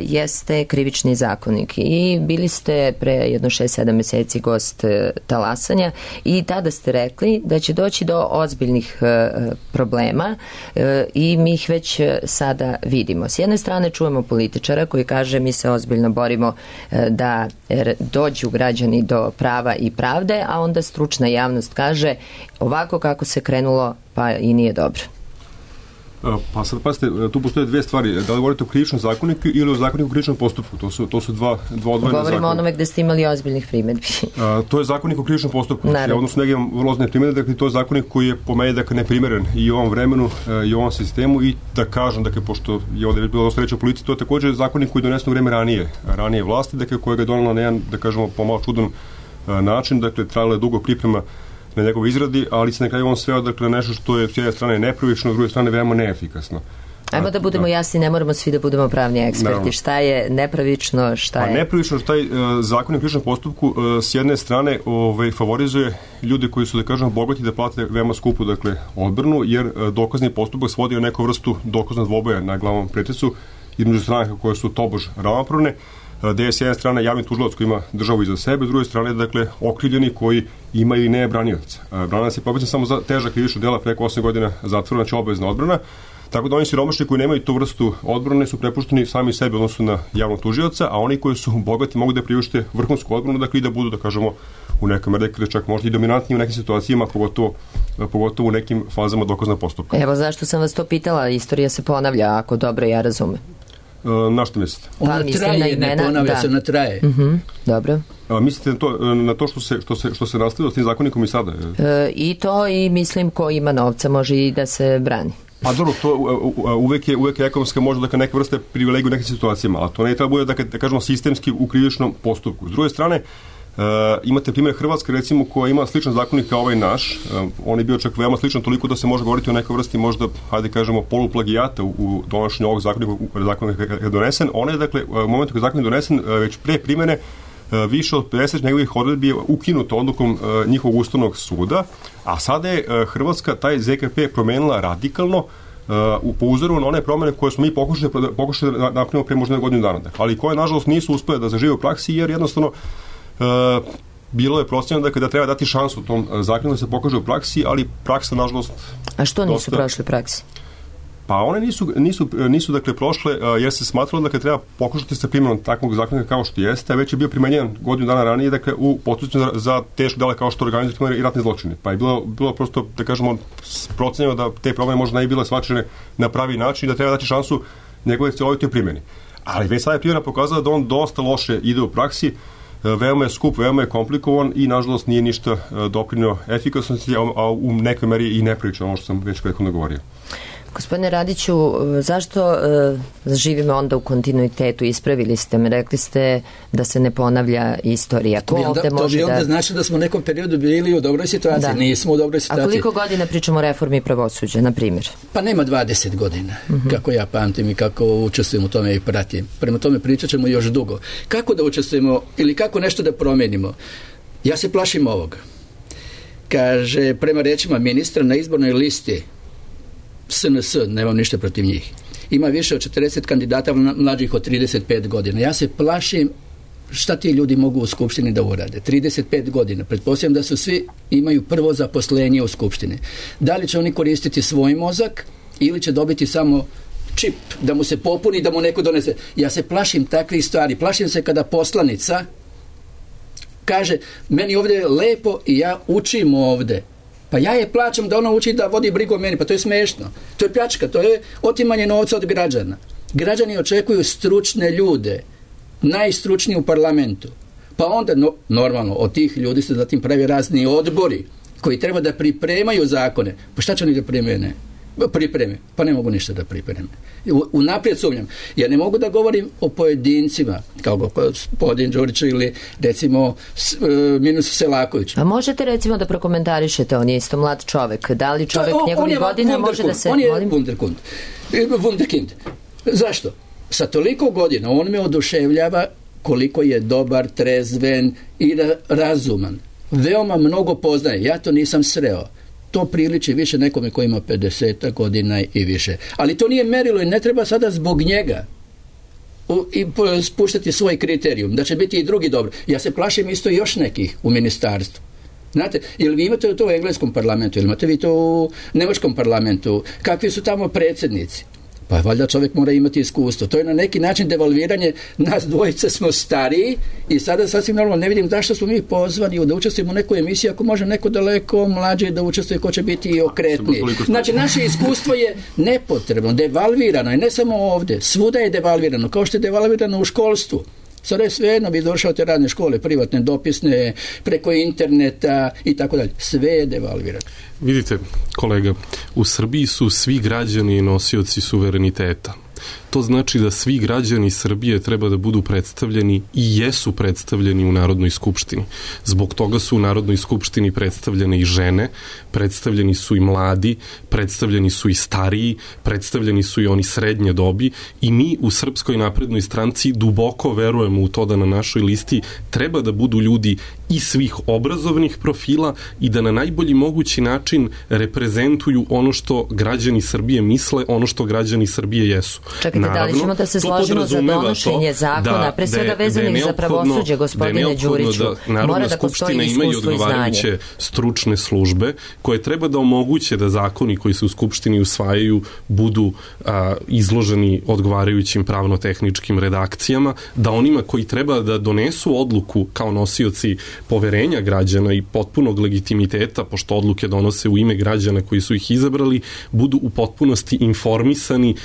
jeste krivični zakonik. I bili ste pre jedno 6-7 meseci gost talasanja i tada ste rekli da će doći do ozbiljnih problema i mi ih već sada vidimo. S jedne strane čujemo političara koji kaže mi se ozbiljno borimo da dođu građani do prava i pravde, a onda stručna javnost kaže ovako kako se krenulo pa i nije dobro. Pa sad pazite, tu postoje dve stvari. Da li govorite o krivičnom zakoniku ili o zakoniku o krivičnom postupku? To su dva odvojena zakona. Govorimo o onome gde ste imali ozbiljnih primedbi. To je zakonik o krivičnom postupku. Odnosno neke vrlo ozbiljne primedbe, dakle to je zakonik koji je po meni neprimeren i u ovom vremenu i u ovom sistemu i da kažem, dakle, pošto je ovde bilo dosta reći o policiji, to je također zakonik koji je donesen u vreme ranije vlasti, dakle kojega je donela na jedan, da kažemo, pomalo čudan način, dakle trajala je dugo priprema na njegovoj izradi, ali se na kraju on sveo dakle nešto što je s jedne strane nepravično, s druge strane veoma neefikasno. Ajmo da budemo jasni, ne moramo svi da budemo pravni eksperti. Naravno. Šta je nepravično, šta je... Nepravično, šta je zakon o krivičnom postupku s jedne strane favorizuje ljude koji su, da kažemo, bogati da plate veoma skupu, dakle, odbranu, jer dokazni postupak svodi na neku vrstu dokaznog dvoboja na glavnom pretresu između stranaka koje su tobož ravnopravne, gde je s jedne strane javni tužilac koji ima državu iza sebe, s druge strane, dakle, okrivljeni koji ima i ne branioca. Branac je propisan samo za teža krivična dela preko 8 godina zatvora, znači obavezna odbrana, tako da oni siromašni koji nemaju tu vrstu odbrane su prepušteni sami sebi odnosno na javnog tužioca, a oni koji su bogati mogu da priušte vrhunsku odbranu, dakle i da budu, da kažemo, u nekom rekli čak možda i dominantni u nekim situacijama, pogotovo u nekim fazama dokaznog postupka. Evo zašto sam vas to pitala, istorija se ponavlja, ako dobro ja razumem. Na što mislite? Ona traje, ne ponavlja se, ona traje. Dobro. Mislite na to što se nastavilo s tim zakonikom i sada? I to, i mislim ko ima novca može i da se brani. A dobro, to uvek je ekonomska možda neka vrsta privilegija u nekim situacijama, ali to ne treba bude da kažemo sistemski u krivičnom postupku. S druge strane, imate primjer Hrvatske, recimo, koja ima sličan zakonik kao ovaj naš. On je bio čak veoma sličan toliko da se može govoriti o nekoj vrsti možda, hajde kažemo, poluplagijata u donošenju ovog zakonika je donesen. On je, dakle, u momentu kada je zakonik donesen, već pre primjene više od 50 njegovih odredbi je ukinuto odlukom njihovog ustavnog suda, a sada je Hrvatska taj ZKP promenila radikalno po uzoru na one promene koje smo mi pokušali da napravimo pre možda godinu dana. Ali koje, nažalost, nisu uspele da zažive u praksi, jer jednostavno bilo je procenjeno da kada treba dati šansu tom zakonu da se pokaže u praksi, ali praksa, nažalost... A što nisu prošle praksi? Pa one nisu dakle prošle, jer se smatralo da treba pokušati sa primjenom takvog zakona kao što jeste, a već je bio primenjen godinu dana ranije, dakle, u postupcima za teško dela kao što organizujemo i ratne zločine. Pa je bilo prosto, da kažemo, procenjeno da te promene možda ne bi bile shvaćene na pravi način i da treba dati šansu njegove celovitoj primjeni. Ali već sada je primjena pokazala da on dosta loše ide u praksi, veoma je skup, veoma je komplikovan i nažalost nije ništa doprinio efikasnosti, a u nekoj meri i neprilično, ono što sam već prethodno govorio. Gospodine Radiću, zašto živimo onda u kontinuitetu? Ispravili ste me, rekli ste da se ne ponavlja istorija. To bi onda znači da smo u nekom periodu bili u dobroj situaciji. Nismo u dobroj situaciji. A koliko godina pričamo o reformi pravosuđa, na primjer? Pa nema 20 godina, kako ja pamtim i kako učestvujem u tome i pratim. Prema tome pričat ćemo još dugo. Kako da učestvujemo ili kako nešto da promenimo? Ja se plašim ovoga. Kaže, prema rečima ministra, na izbornoj listi SNS, nemam ništa protiv njih, ima više od 40 kandidata mlađih od 35 godina. Ja se plašim šta ti ljudi mogu u Skupštini da urade. 35 godina. Pretpostavljam da su svi imaju prvo zaposlenje u Skupštini. Da li će oni koristiti svoj mozak ili će dobiti samo čip da mu se popuni, da mu neko donese. Ja se plašim takvih stvari. Plašim se kada poslanica kaže, meni ovdje je lepo i ja učim ovdje. Pa ja je plaćam da ona uči da vodi brigu o meni, pa to je smešno. To je pljačka, to je otimanje novca od građana. Građani očekuju stručne ljude, najstručniji u parlamentu. Pa onda, normalno, od tih ljudi se zatim pravi razni odbori koji treba da pripremaju zakone. Pa šta će oni da pripreme? Pa ne mogu ništa da pripreme. Unaprijed sumnjam. Ja ne mogu da govorim o pojedincima, kao gospodin Đurić ili recimo Minus Selaković. A možete recimo da prokomentarišete, on je isto mlad čovek. Da li čovek njegovih godina može da se... On je wunderkind. Zašto? Sa toliko godina on me oduševljava koliko je dobar, trezven i razuman. Veoma mnogo poznaje. Ja to nisam sreo. To priliči više nekome koji ima 50 godina i više. Ali to nije merilo i ne treba sada zbog njega i spuštati svoj kriterijum, da će biti i drugi dobro. Ja se plašim isto još nekih u ministarstvu. Znate, ili vi imate to u engleskom parlamentu, ili imate vi to u nemačkom parlamentu, kakvi su tamo predsjednici? Pa valjda čovjek mora imati iskustvo. To je na neki način devalviranje. Nas dvojice smo stariji i sada sasvim normalno ne vidim zašto smo mi pozvani da učestvujemo u nekoj emisiji ako može neko daleko mlađe da učestvuje ko će biti okretniji. Znači naše iskustvo je nepotrebno, devalvirano i ne samo ovdje. Svuda je devalvirano, kao što je devalvirano u školstvu. Sada je svejedno, bi došao te radne škole, privatne, dopisne, preko interneta i tako dalje. Sve je devalvirano. Vidite, kolega, u Srbiji su svi građani nosioci suvereniteta. To znači da svi građani Srbije treba da budu predstavljeni i jesu predstavljeni u Narodnoj skupštini. Zbog toga su u Narodnoj skupštini predstavljene i žene, predstavljeni su i mladi, predstavljeni su i stariji, predstavljeni su i oni srednje dobi i mi u Srpskoj naprednoj stranci duboko verujemo u to da na našoj listi treba da budu ljudi i svih obrazovnih profila i da na najbolji mogući način reprezentuju ono što građani Srbije misle, ono što građani Srbije jesu. Čekajte, naravno, da li ćemo da se složimo za donošenje zakona, pre svega vezanih za pravosuđe, gospodine Đuriću? Da Narodna skupština ima i odgovarajuće stručne službe koje treba da omoguće da zakoni koji se u skupštini usvajaju budu izloženi odgovarajućim pravno-tehničkim redakcijama, da onima koji treba da donesu odluku kao nosioci poverenja građana i potpunog legitimiteta, pošto odluke donose u ime građana koji su ih izabrali, budu u potpunosti informisani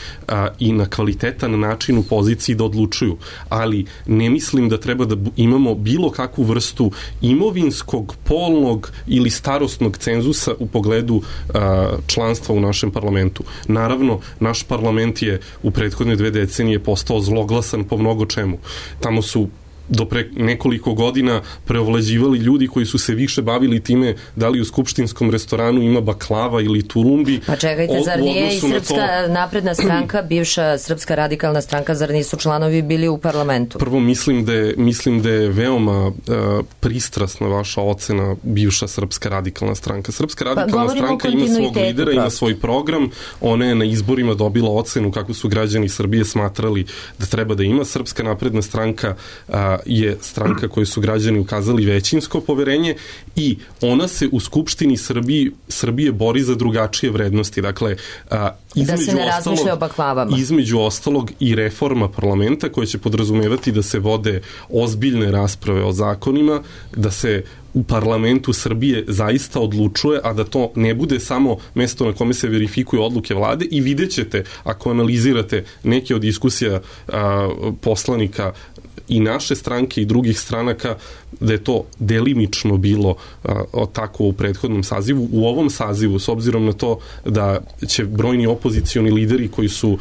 i na kvalitetan način u poziciji da odlučuju, ali ne mislim da treba da imamo bilo kakvu vrstu imovinskog, polnog ili starosnog cenzusa u pogledu članstva u našem parlamentu. Naravno, naš parlament je u prethodne 2 decenije postao zloglasan po mnogo čemu. Tamo su do pre nekoliko godina preovlađivali ljudi koji su se više bavili time da li u skupštinskom restoranu ima baklava ili tulumbi. Pa čekajte, zar nije i Srpska napredna stranka, bivša Srpska radikalna stranka, zar nisu članovi bili u parlamentu? Prvo, mislim da je veoma pristrasna vaša ocena bivša Srpska radikalna stranka. Srpska radikalna stranka ima svog lidera, ima svoj program, ona je na izborima dobila ocenu kako su građani Srbije smatrali da treba da ima. Srpska napredna stranka je stranka koju su građani ukazali većinsko poverenje i ona se u Skupštini Srbije bori za drugačije vrednosti. Dakle, da se ne razmišlja o baklavama. Između ostalog i reforma parlamenta koja će podrazumevati da se vode ozbiljne rasprave o zakonima, da se u parlamentu Srbije zaista odlučuje, a da to ne bude samo mesto na kome se verifikuju odluke vlade i vidjet ćete, ako analizirate neke od diskusija poslanika i naše stranke i drugih stranaka, da je to delimično bilo tako u prethodnom sazivu. U ovom sazivu, s obzirom na to da će brojni opozicioni lideri koji su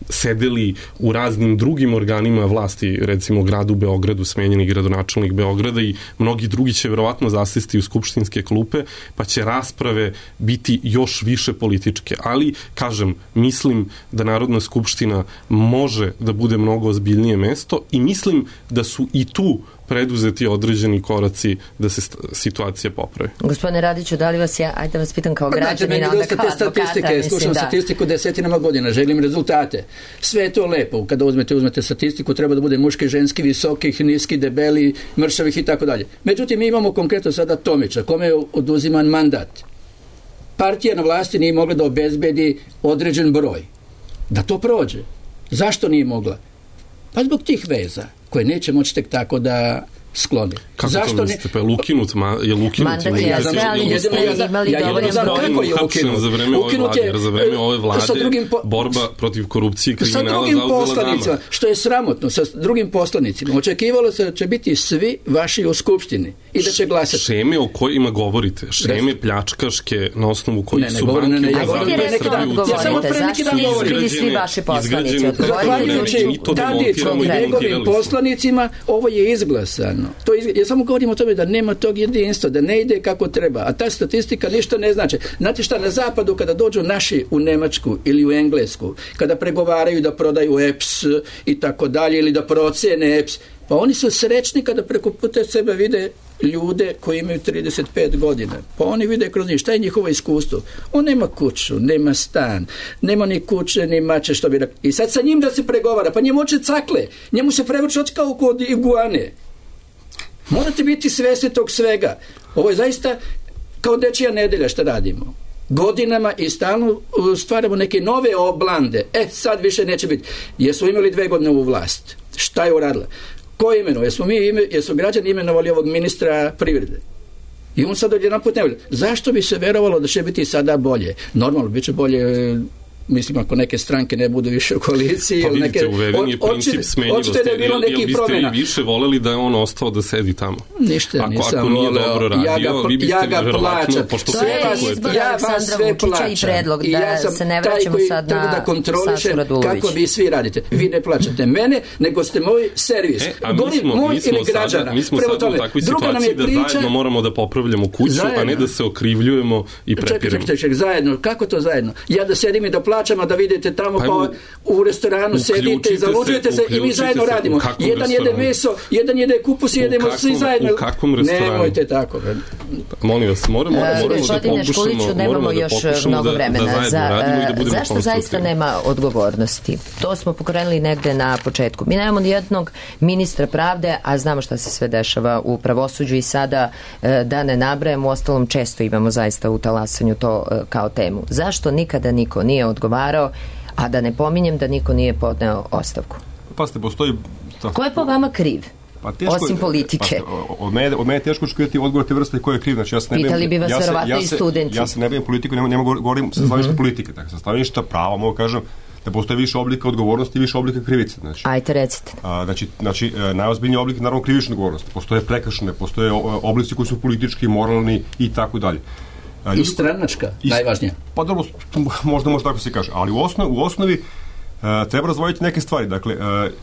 sedeli u raznim drugim organima vlasti, recimo gradu Beogradu, smenjeni gradonačelnik Beograda i mnogi drugi će verovatno zasesti u skupštinske klupe, pa će rasprave biti još više političke. Ali, kažem, mislim da Narodna skupština može da bude mnogo ozbiljnije mesto i mislim da su i tu preduzeti određeni koraci da se situacija popravi. Gospodine Radiću, da li vas ajde da vas pitam kao građanina, onda kao advokata, slušam statistiku desetinama godina, želim rezultate. Sve je to lepo. Kada uzmete statistiku, treba da bude muški, ženski, visokih, niski, debeli, mršavih i tako dalje. Međutim, mi imamo konkretno sada Tomića, kome je oduziman mandat. Partija na vlasti nije mogla da obezbedi određen broj. Da to prođe. Zašto nije mogla? Pa zbog tih veza koje neće moći tek tako da skloni. Kako zašto to mislite? Pa je ukinut? Mandat je, ali niste imali dovoljan broj. Uhapšen za vreme ove vlade, jer za vreme ove vlade borba protiv korupcije i kriminala zauzela dama. Sa drugim poslanicima, što je sramotno, sa drugim poslanicima. Očekivalo se da će biti svi vaši u skupštini i da će glasati. Šeme o kojima govorite, šeme pljačkaške na osnovu kojih su banke ja samo pre neki dan govorim. Svi vaši poslanici zahvaljujući Tadićom i njegovim poslanicima, ovo je izglasano. Ja samo govorim o tome da nema tog jedinstva, da ne ide kako treba, a ta statistika ništa ne znači. Znate šta, na zapadu kada dođu naši u Nemačku ili u Englesku, kada pregovaraju da prodaju EPS i tako dalje, ili da procene EPS, pa oni su srećni kada preko puta sebe vide ljude koji imaju 35 godina. Pa oni vide kroz njih. Šta je njihovo iskustvo? On nema kuću, nema stan, nema ni kuće, ni mače, što bi rekao. I sad sa njim da se pregovara, pa njemu oče cakle, njemu se prevrće oči kao kod iguane. Morate biti svesni tog svega. Ovo je zaista kao dečija nedelja što radimo. Godinama i stalno stvaramo neke nove oblande. Sad više neće biti. Jesmo imali 2 godine u vlast. Šta je uradila? Ko je imenovao? Jesu građani imenovali ovog ministra privrede? I on sad odjedan put ne vidi. Zašto bi se verovalo da će biti sada bolje? Normalno, bit će bolje, mislim, ako neke stranke ne budu više u koaliciji. Pa vidite, uveden je princip smenjivosti. Jel biste i više voleli da je on ostao da sedi tamo? Ništa, nisam ako nije dobro radio, vi biste verovatno, pošto to je izbor Aleksandra Vučića i predlog da se ne vraćamo sad na Sašu Radulović. Kako vi svi radite. Vi ne plaćate mene, nego ste moj servis. Mi smo sad u takvoj situaciji da zajedno moramo da popravljamo kuću, a ne da se okrivljujemo i prepiramo. Čekaj, zajedno. Kako to zajedno? Ja da sedim i da plaćam, a da vidite tamo pa u restoranu sedite i zalučujete se i mi zajedno radimo. Jedan jede meso, jedan jede kupus i jedemo svi zajedno. U kakvom restoranu? Nemojte tako. Molim vas, moramo nemamo još mnogo vremena. Zašto zaista nema nema odgovornosti? To smo pokrenuli negde na početku. Mi nemamo ni jednog ministra pravde, a znamo šta se sve dešava u pravosuđu i sada da ne nabrajamo, uostalom često imamo zaista u talasanju to kao temu. Zašto nikada niko nije odgovarao, a da ne pominjem da niko nije podneo ostavku? Pazite, postoji... Ko je po vama kriv? Osim politike. Od mene je teško očekivati odgovor te vrste ko je kriv. Znači, pitali bi vas verovatno i studenti. Ja se ne bavim politiku, ne mogu govorim sa stanovišta politike. Tako, sa stanovišta prava mogu kažem da postoje više oblika odgovornosti i više oblika krivice. Znači, ajte, recite. Znači najozbiljniji oblik je naravno krivična odgovornost. Postoje prekršajne, postoje oblici koji su politički, moralni i tako dalje. I stranačka, najvažnije. Pa dobro, možda tako se kaže, ali u osnovi treba razvojiti neke stvari. Dakle,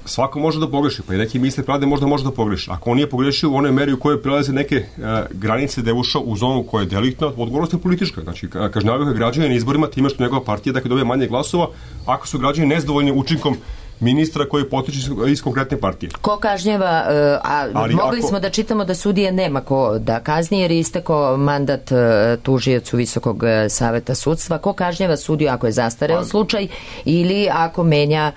svako može da pogreši, pa i neki ministar pravde možda može da pogreši. Ako on nije pogrešio u onoj meri u kojoj prelaze neke granice da je ušao u zonu koja je deliktna, odgovornost je politička. Znači, kažnjavaju ga građani na izborima time što njegova partija dobije manje glasova, ako su građani nezadovoljni učinkom ministra koji potiče iz konkretne partije. Ko kažnjava, mogli smo da čitamo da sudije nema ko da kazni jer je istekao mandat tužiocu Visokog saveta sudstva. Ko kažnjava sudiju ako je zastareo slučaj ili ako menja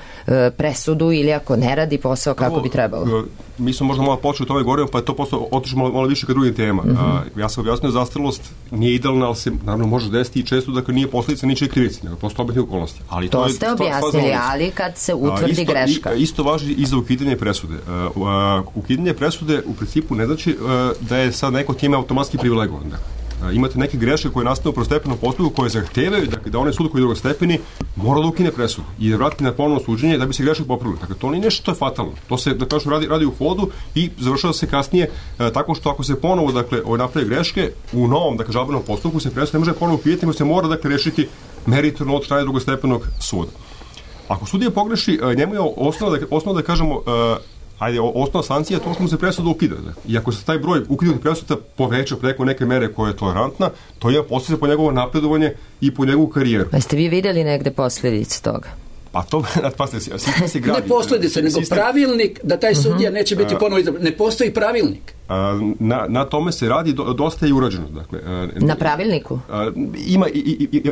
presudu ili ako ne radi posao kako bi trebalo? Mi smo možda malo počeli o tome govorimo, pa je to otišlo malo više ka drugim tema. Ja sam objasnio, zastarelost nije idealna, ali se naravno može desiti i često da nije posljedica ničije krivice, nego prosto objektivne okolnosti. Ali to ste objasnili, ali kad se utvrdi greška. Isto važi i za ukidanje presude. Ukidanje presude u principu ne znači da je sad neko time automatski privilegovan. Imate neke greške koje nastanu u prvostepenom postupku koje zahtevaju da onaj sud koji je drugostepeni mora da ukine presudu i da vrati na ponovno suđenje da bi se greške popravile. Dakle, to nije nešto što je fatalno. To se, da kažem, radi u hodu i završava se kasnije tako što ako se ponovo, napravi greške, u novom, žalbenom postupku se presuda ne može ponovo ukidati, nego se mora, rešiti meritorno od strane drugostepenog suda. Ako sudija pogreši, njemu je osnova da kažemo osnovna sankcija je to što mu se presuda ukida. I ako se taj broj ukidanih presuda poveća preko neke mere koja je tolerantna, to je posljedica po njegovo napredovanje i po njegovu karijeru. Pa ste vi vidjeli negde posljedice toga? Pa to, sistem se gradi. Ne posljedice, nego pravilnik da taj sudija neće biti ponovo izabran. Ne postoji pravilnik. Na tome se radi, dosta je urađeno. Dakle, na pravilniku?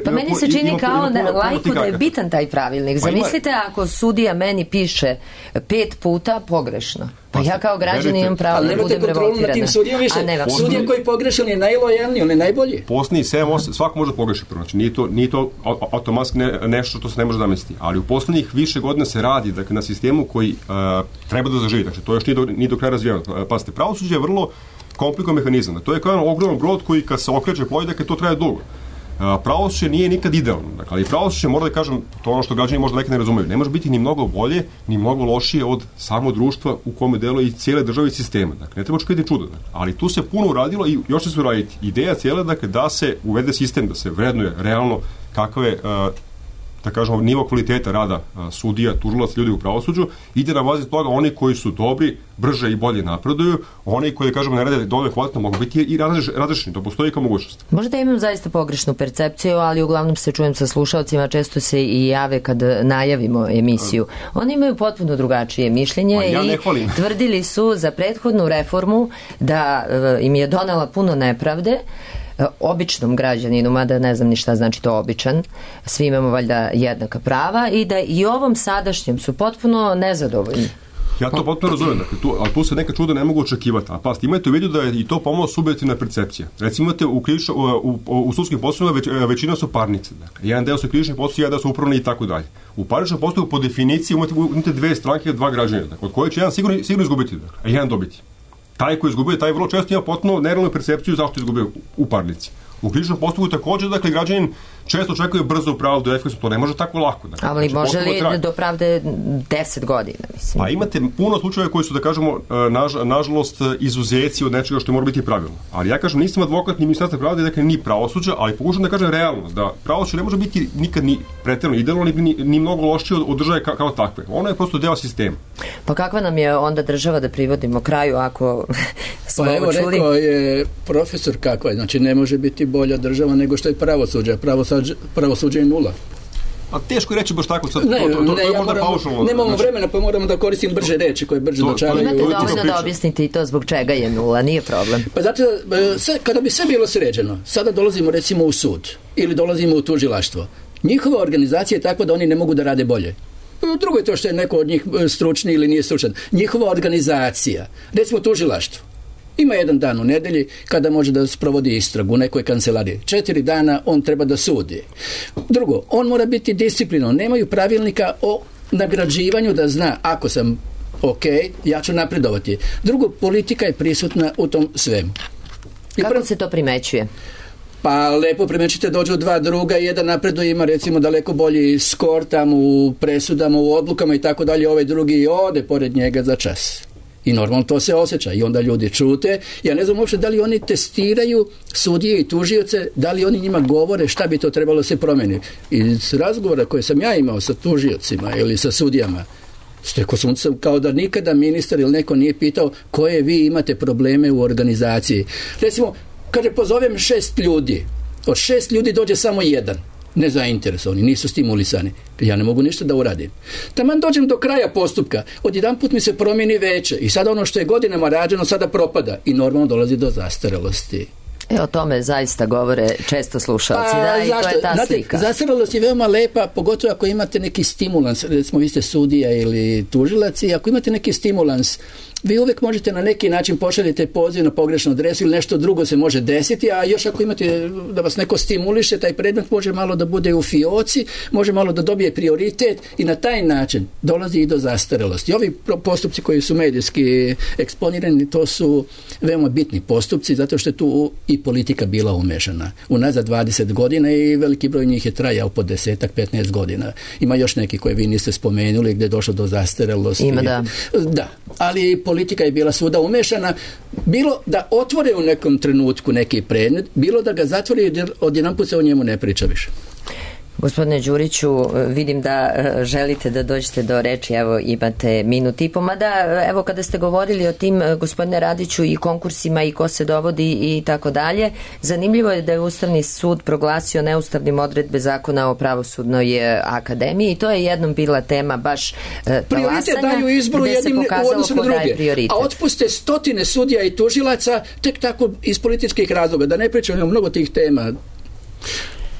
Pa meni se čini kao lajku da je bitan taj pravilnik. Zamislite ako sudija meni piše 5 puta pogrešno. Pa ja kao građanin imam pravo da budem revoltirana. Tim sudijom više. Sudija koji pogreši, on je najlojalniji, on je najbolji. Posljednji 7-8, svako može pogrešiti. Znači, nije to automatski nešto što se ne može zamisliti. Ali u posljednjih više godina se radi na sistemu koji treba da zaživi. Znači, to još nije do kraja razvijeno. Pazite, pravosuđe je vrlo komplikovan mehanizam. To je kao jedan ogroman brod koji kad se okreće plovi, to traje dugo. Pravosuđe nije nikad idealno, ali pravosuđe, mora da kažem, to ono što građani možda nekad ne razumeju, ne može biti ni mnogo bolje, ni mnogo lošije od samo društva u kome deluje i cijele države i sistema. Dakle, ne treba očekivati čudo. Ali tu se puno uradilo i još će se uraditi. Ideja cijela, da se uvede sistem, da se vrednuje realno kakve da kažemo, nivo kvaliteta rada sudija, tužilaca, ljudi u pravosuđu, ide na bazi toga oni koji su dobri, brže i bolje napreduju, oni koji, kažemo, ne rade dovoljno kvalitetno, mogu biti i razrešeni. To postoji kao mogućnost. Možda imam zaista pogrešnu percepciju, ali uglavnom se čujem sa slušalcima, često se i jave kad najavimo emisiju. Oni imaju potpuno drugačije mišljenje i tvrdili su za prethodnu reformu da im je donela puno nepravde, običnom građaninu, mada ne znam ni šta znači to običan, svi imamo valjda jednaka prava i da i ovom sadašnjem su potpuno nezadovoljni. Ja to potpuno razumijem, ali tu se neka čuda ne mogu očekivati. A pasti, imajte u vidu da je i to pomalo subjektivna percepcija. Recimo imate u sudskim postupcima većina su parnice. Dakle, jedan deo su krivični postupci, jedan deo su upravni i tako dalje. U parničnom postupku po definiciji imate dve stranke, dva građanina, dakle, od koje će jedan sigurno izgubiti, dakle, a jedan dobiti. Taj koji izgubio, taj vrlo često ima potpuno nerealnu percepciju zašto izgubio u parnici. U krivičnom postupku također, dakle, građanin često očekuje brzo pravdu, efikasno, to ne može tako lako. Dakle, ali može li do pravde 10 godina, mislim? Pa imate puno slučajeva koji su, da kažemo, nažalost, izuzeci od nečega što mora biti pravilno. Ali ja kažem, nisam advokat ni ministarstva pravde, dakle, ni pravosuđa, ali pokušam da kažem realnost, da pravosuđe ne može biti nikad ni pretjerano idealno, ni mnogo lošije od države kao takve. Ono je prosto deo sistema. Pa kakva nam je onda država da privodimo kraju ako smo čuli? Pa evo, rekao je profesor kakva je, znači ne može biti bolja država nego što je pravosuđe. Pravosuđe je nula. A teško je reći baš tako, to je možda paušalno. Nemamo vremena, pa moramo da koristim brže reči koje brže dočaraju. Imate dovoljno da objasnite i to zbog čega je nula, nije problem. Pa zato, kada bi sve bilo sređeno, sada dolazimo recimo u sud ili dolazimo u tužilaštvo. Njihova organizacija je takva da oni ne mogu da rade bolje. Drugo je to što je neko od njih stručni ili nije stručan. Njihova organizacija, recimo tužilaštvo, ima jedan dan u nedelji kada može da sprovodi istragu u nekoj kancelariji. 4 dana on treba da sudi. Drugo, on mora biti disciplinovan. Nemaju pravilnika o nagrađivanju da zna ako sam ok, ja ću napredovati. Drugo, politika je prisutna u tom svemu. Kako se to primećuje? Pa lepo primećite, dođu dva druga, jedan napreduje, ima recimo daleko bolji skor tamo u presudama, u odlukama i tako dalje, ovaj drugi ode pored njega za čas. I normalno to se osjeća i onda ljudi čute. Ja ne znam uopšte da li oni testiraju sudije i tužioce, da li oni njima govore šta bi to trebalo se promeniti. Iz razgovora koje sam ja imao sa tužiocima ili sa sudijama, stekao sam kao da nikada ministar ili neko nije pitao koje vi imate probleme u organizaciji. Recimo, kada pozovem 6 ljudi, od 6 ljudi dođe samo jedan, nezainteresovani, nisu stimulisani. Ja ne mogu ništa da uradim. Taman dođem do kraja postupka, odjedanput mi se promijeni veće i sada ono što je godinama rađeno sada propada i normalno dolazi do zastarelosti. O tome zaista govore često slušalci, i to je ta slika. Zastarelost je veoma lepa, pogotovo ako imate neki stimulans, recimo vi ste sudija ili tužilac i ako imate neki stimulans, vi uvijek možete na neki način pošaljete poziv na pogrešnu adresu ili nešto drugo se može desiti, a još ako imate da vas neko stimuliše, taj predmet može malo da bude u fioci, može malo da dobije prioritet i na taj način dolazi i do zastarelosti. Ovi postupci koji su medijski eksponirani, to su veoma bitni postupci, zato što je tu i politika bila umešana. Unazad 20 godina i veliki broj njih je trajao po 10-15 godina. Ima još neki koje vi niste spomenuli gdje je došlo do zastarelosti. Ima, da. Da, ali politika je bila svuda umešana, bilo da otvore u nekom trenutku neki predmet, bilo da ga zatvori jer odjedanput se o njemu ne priča više. Gospodine Đuriću, vidim da želite da dođete do reči, evo imate minut i po, mada evo kada ste govorili o tim, gospodine Radiću, i konkursima i ko se dovodi i tako dalje, zanimljivo je da je Ustavni sud proglasio neustavnim odredbe Zakona o pravosudnoj akademiji i to je jednom bila tema baš prioritet daju izboru jednim u odnosu na druge, a otpuste stotine sudija i tužilaca tek tako iz političkih razloga, da ne pričamo o mnogo tih tema.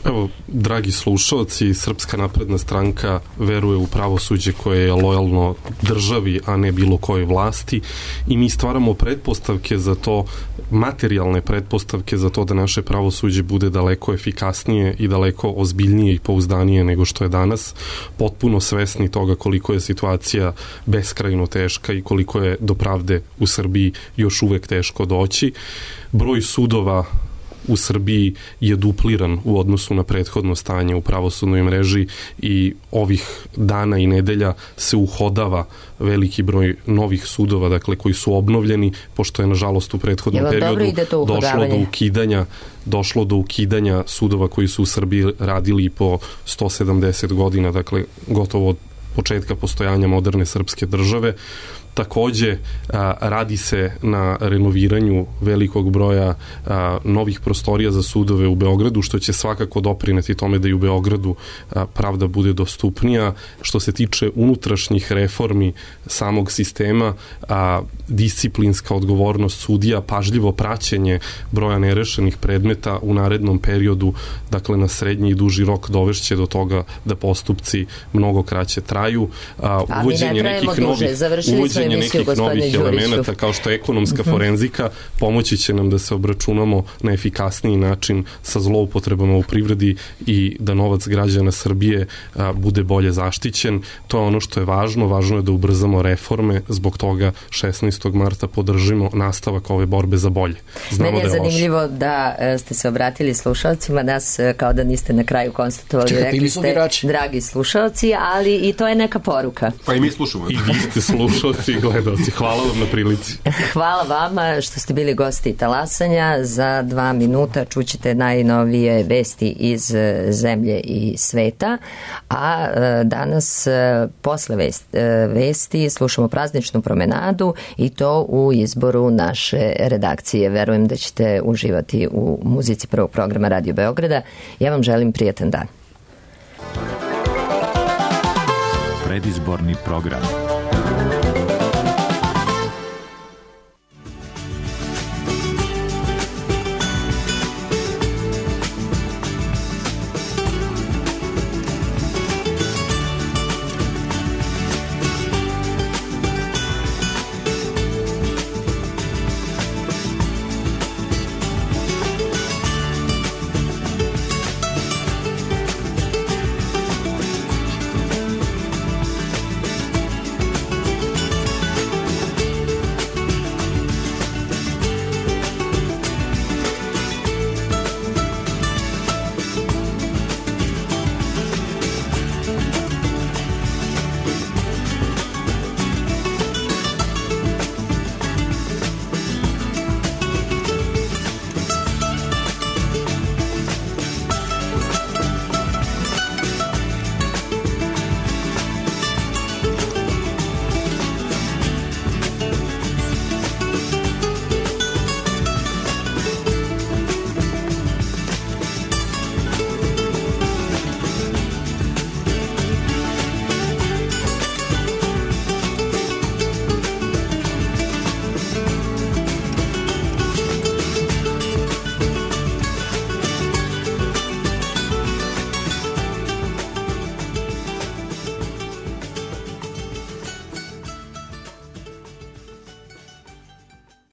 Evo, dragi slušalci, Srpska napredna stranka veruje u pravosuđe koje je lojalno državi, a ne bilo kojoj vlasti i mi stvaramo pretpostavke za to, materijalne pretpostavke za to da naše pravosuđe bude daleko efikasnije i daleko ozbiljnije i pouzdanije nego što je danas, potpuno svesni toga koliko je situacija beskrajno teška i koliko je do pravde u Srbiji još uvek teško doći. Broj sudova u Srbiji je dupliran u odnosu na prethodno stanje u pravosudnoj mreži i ovih dana i nedelja se uhodava veliki broj novih sudova, dakle, koji su obnovljeni, pošto je nažalost u prethodnom periodu došlo do ukidanja sudova koji su u Srbiji radili po 170 godina, dakle, gotovo od početka postojanja moderne srpske države. Takođe, radi se na renoviranju velikog broja novih prostorija za sudove u Beogradu, što će svakako doprineti tome da i u Beogradu pravda bude dostupnija. Što se tiče unutrašnjih reformi samog sistema, disciplinska odgovornost sudija, pažljivo praćenje broja nerešenih predmeta u narednom periodu, dakle na srednji i duži rok, dovešće do toga da postupci mnogo kraće traju. Uvođenje nekih novih elemenata kao što je ekonomska forenzika pomoći će nam da se obračunamo na efikasniji način sa zloupotrebama u privredi i da novac građana Srbije bude bolje zaštićen. To je ono što je važno. Važno je da ubrzamo reforme, zbog toga 16. marta podržimo nastavak ove borbe za bolje. Meni je zanimljivo da ste se obratili slušalcima, nas kao da niste na kraju konstatovali, rekli ste dragi slušalci, ali i to je neka poruka. Pa i mi slušamo. I vi ste slušalci i gledalci. Hvala vam na prilici. Hvala vama što ste bili gosti Talasanja. Za 2 minuta čućete najnovije vesti iz zemlje i sveta, a danas posle vesti slušamo prazničnu promenadu i to u izboru naše redakcije. Verujem da ćete uživati u muzici prvog programa Radio Beograda. Ja vam želim prijatan dan. Predizborni program.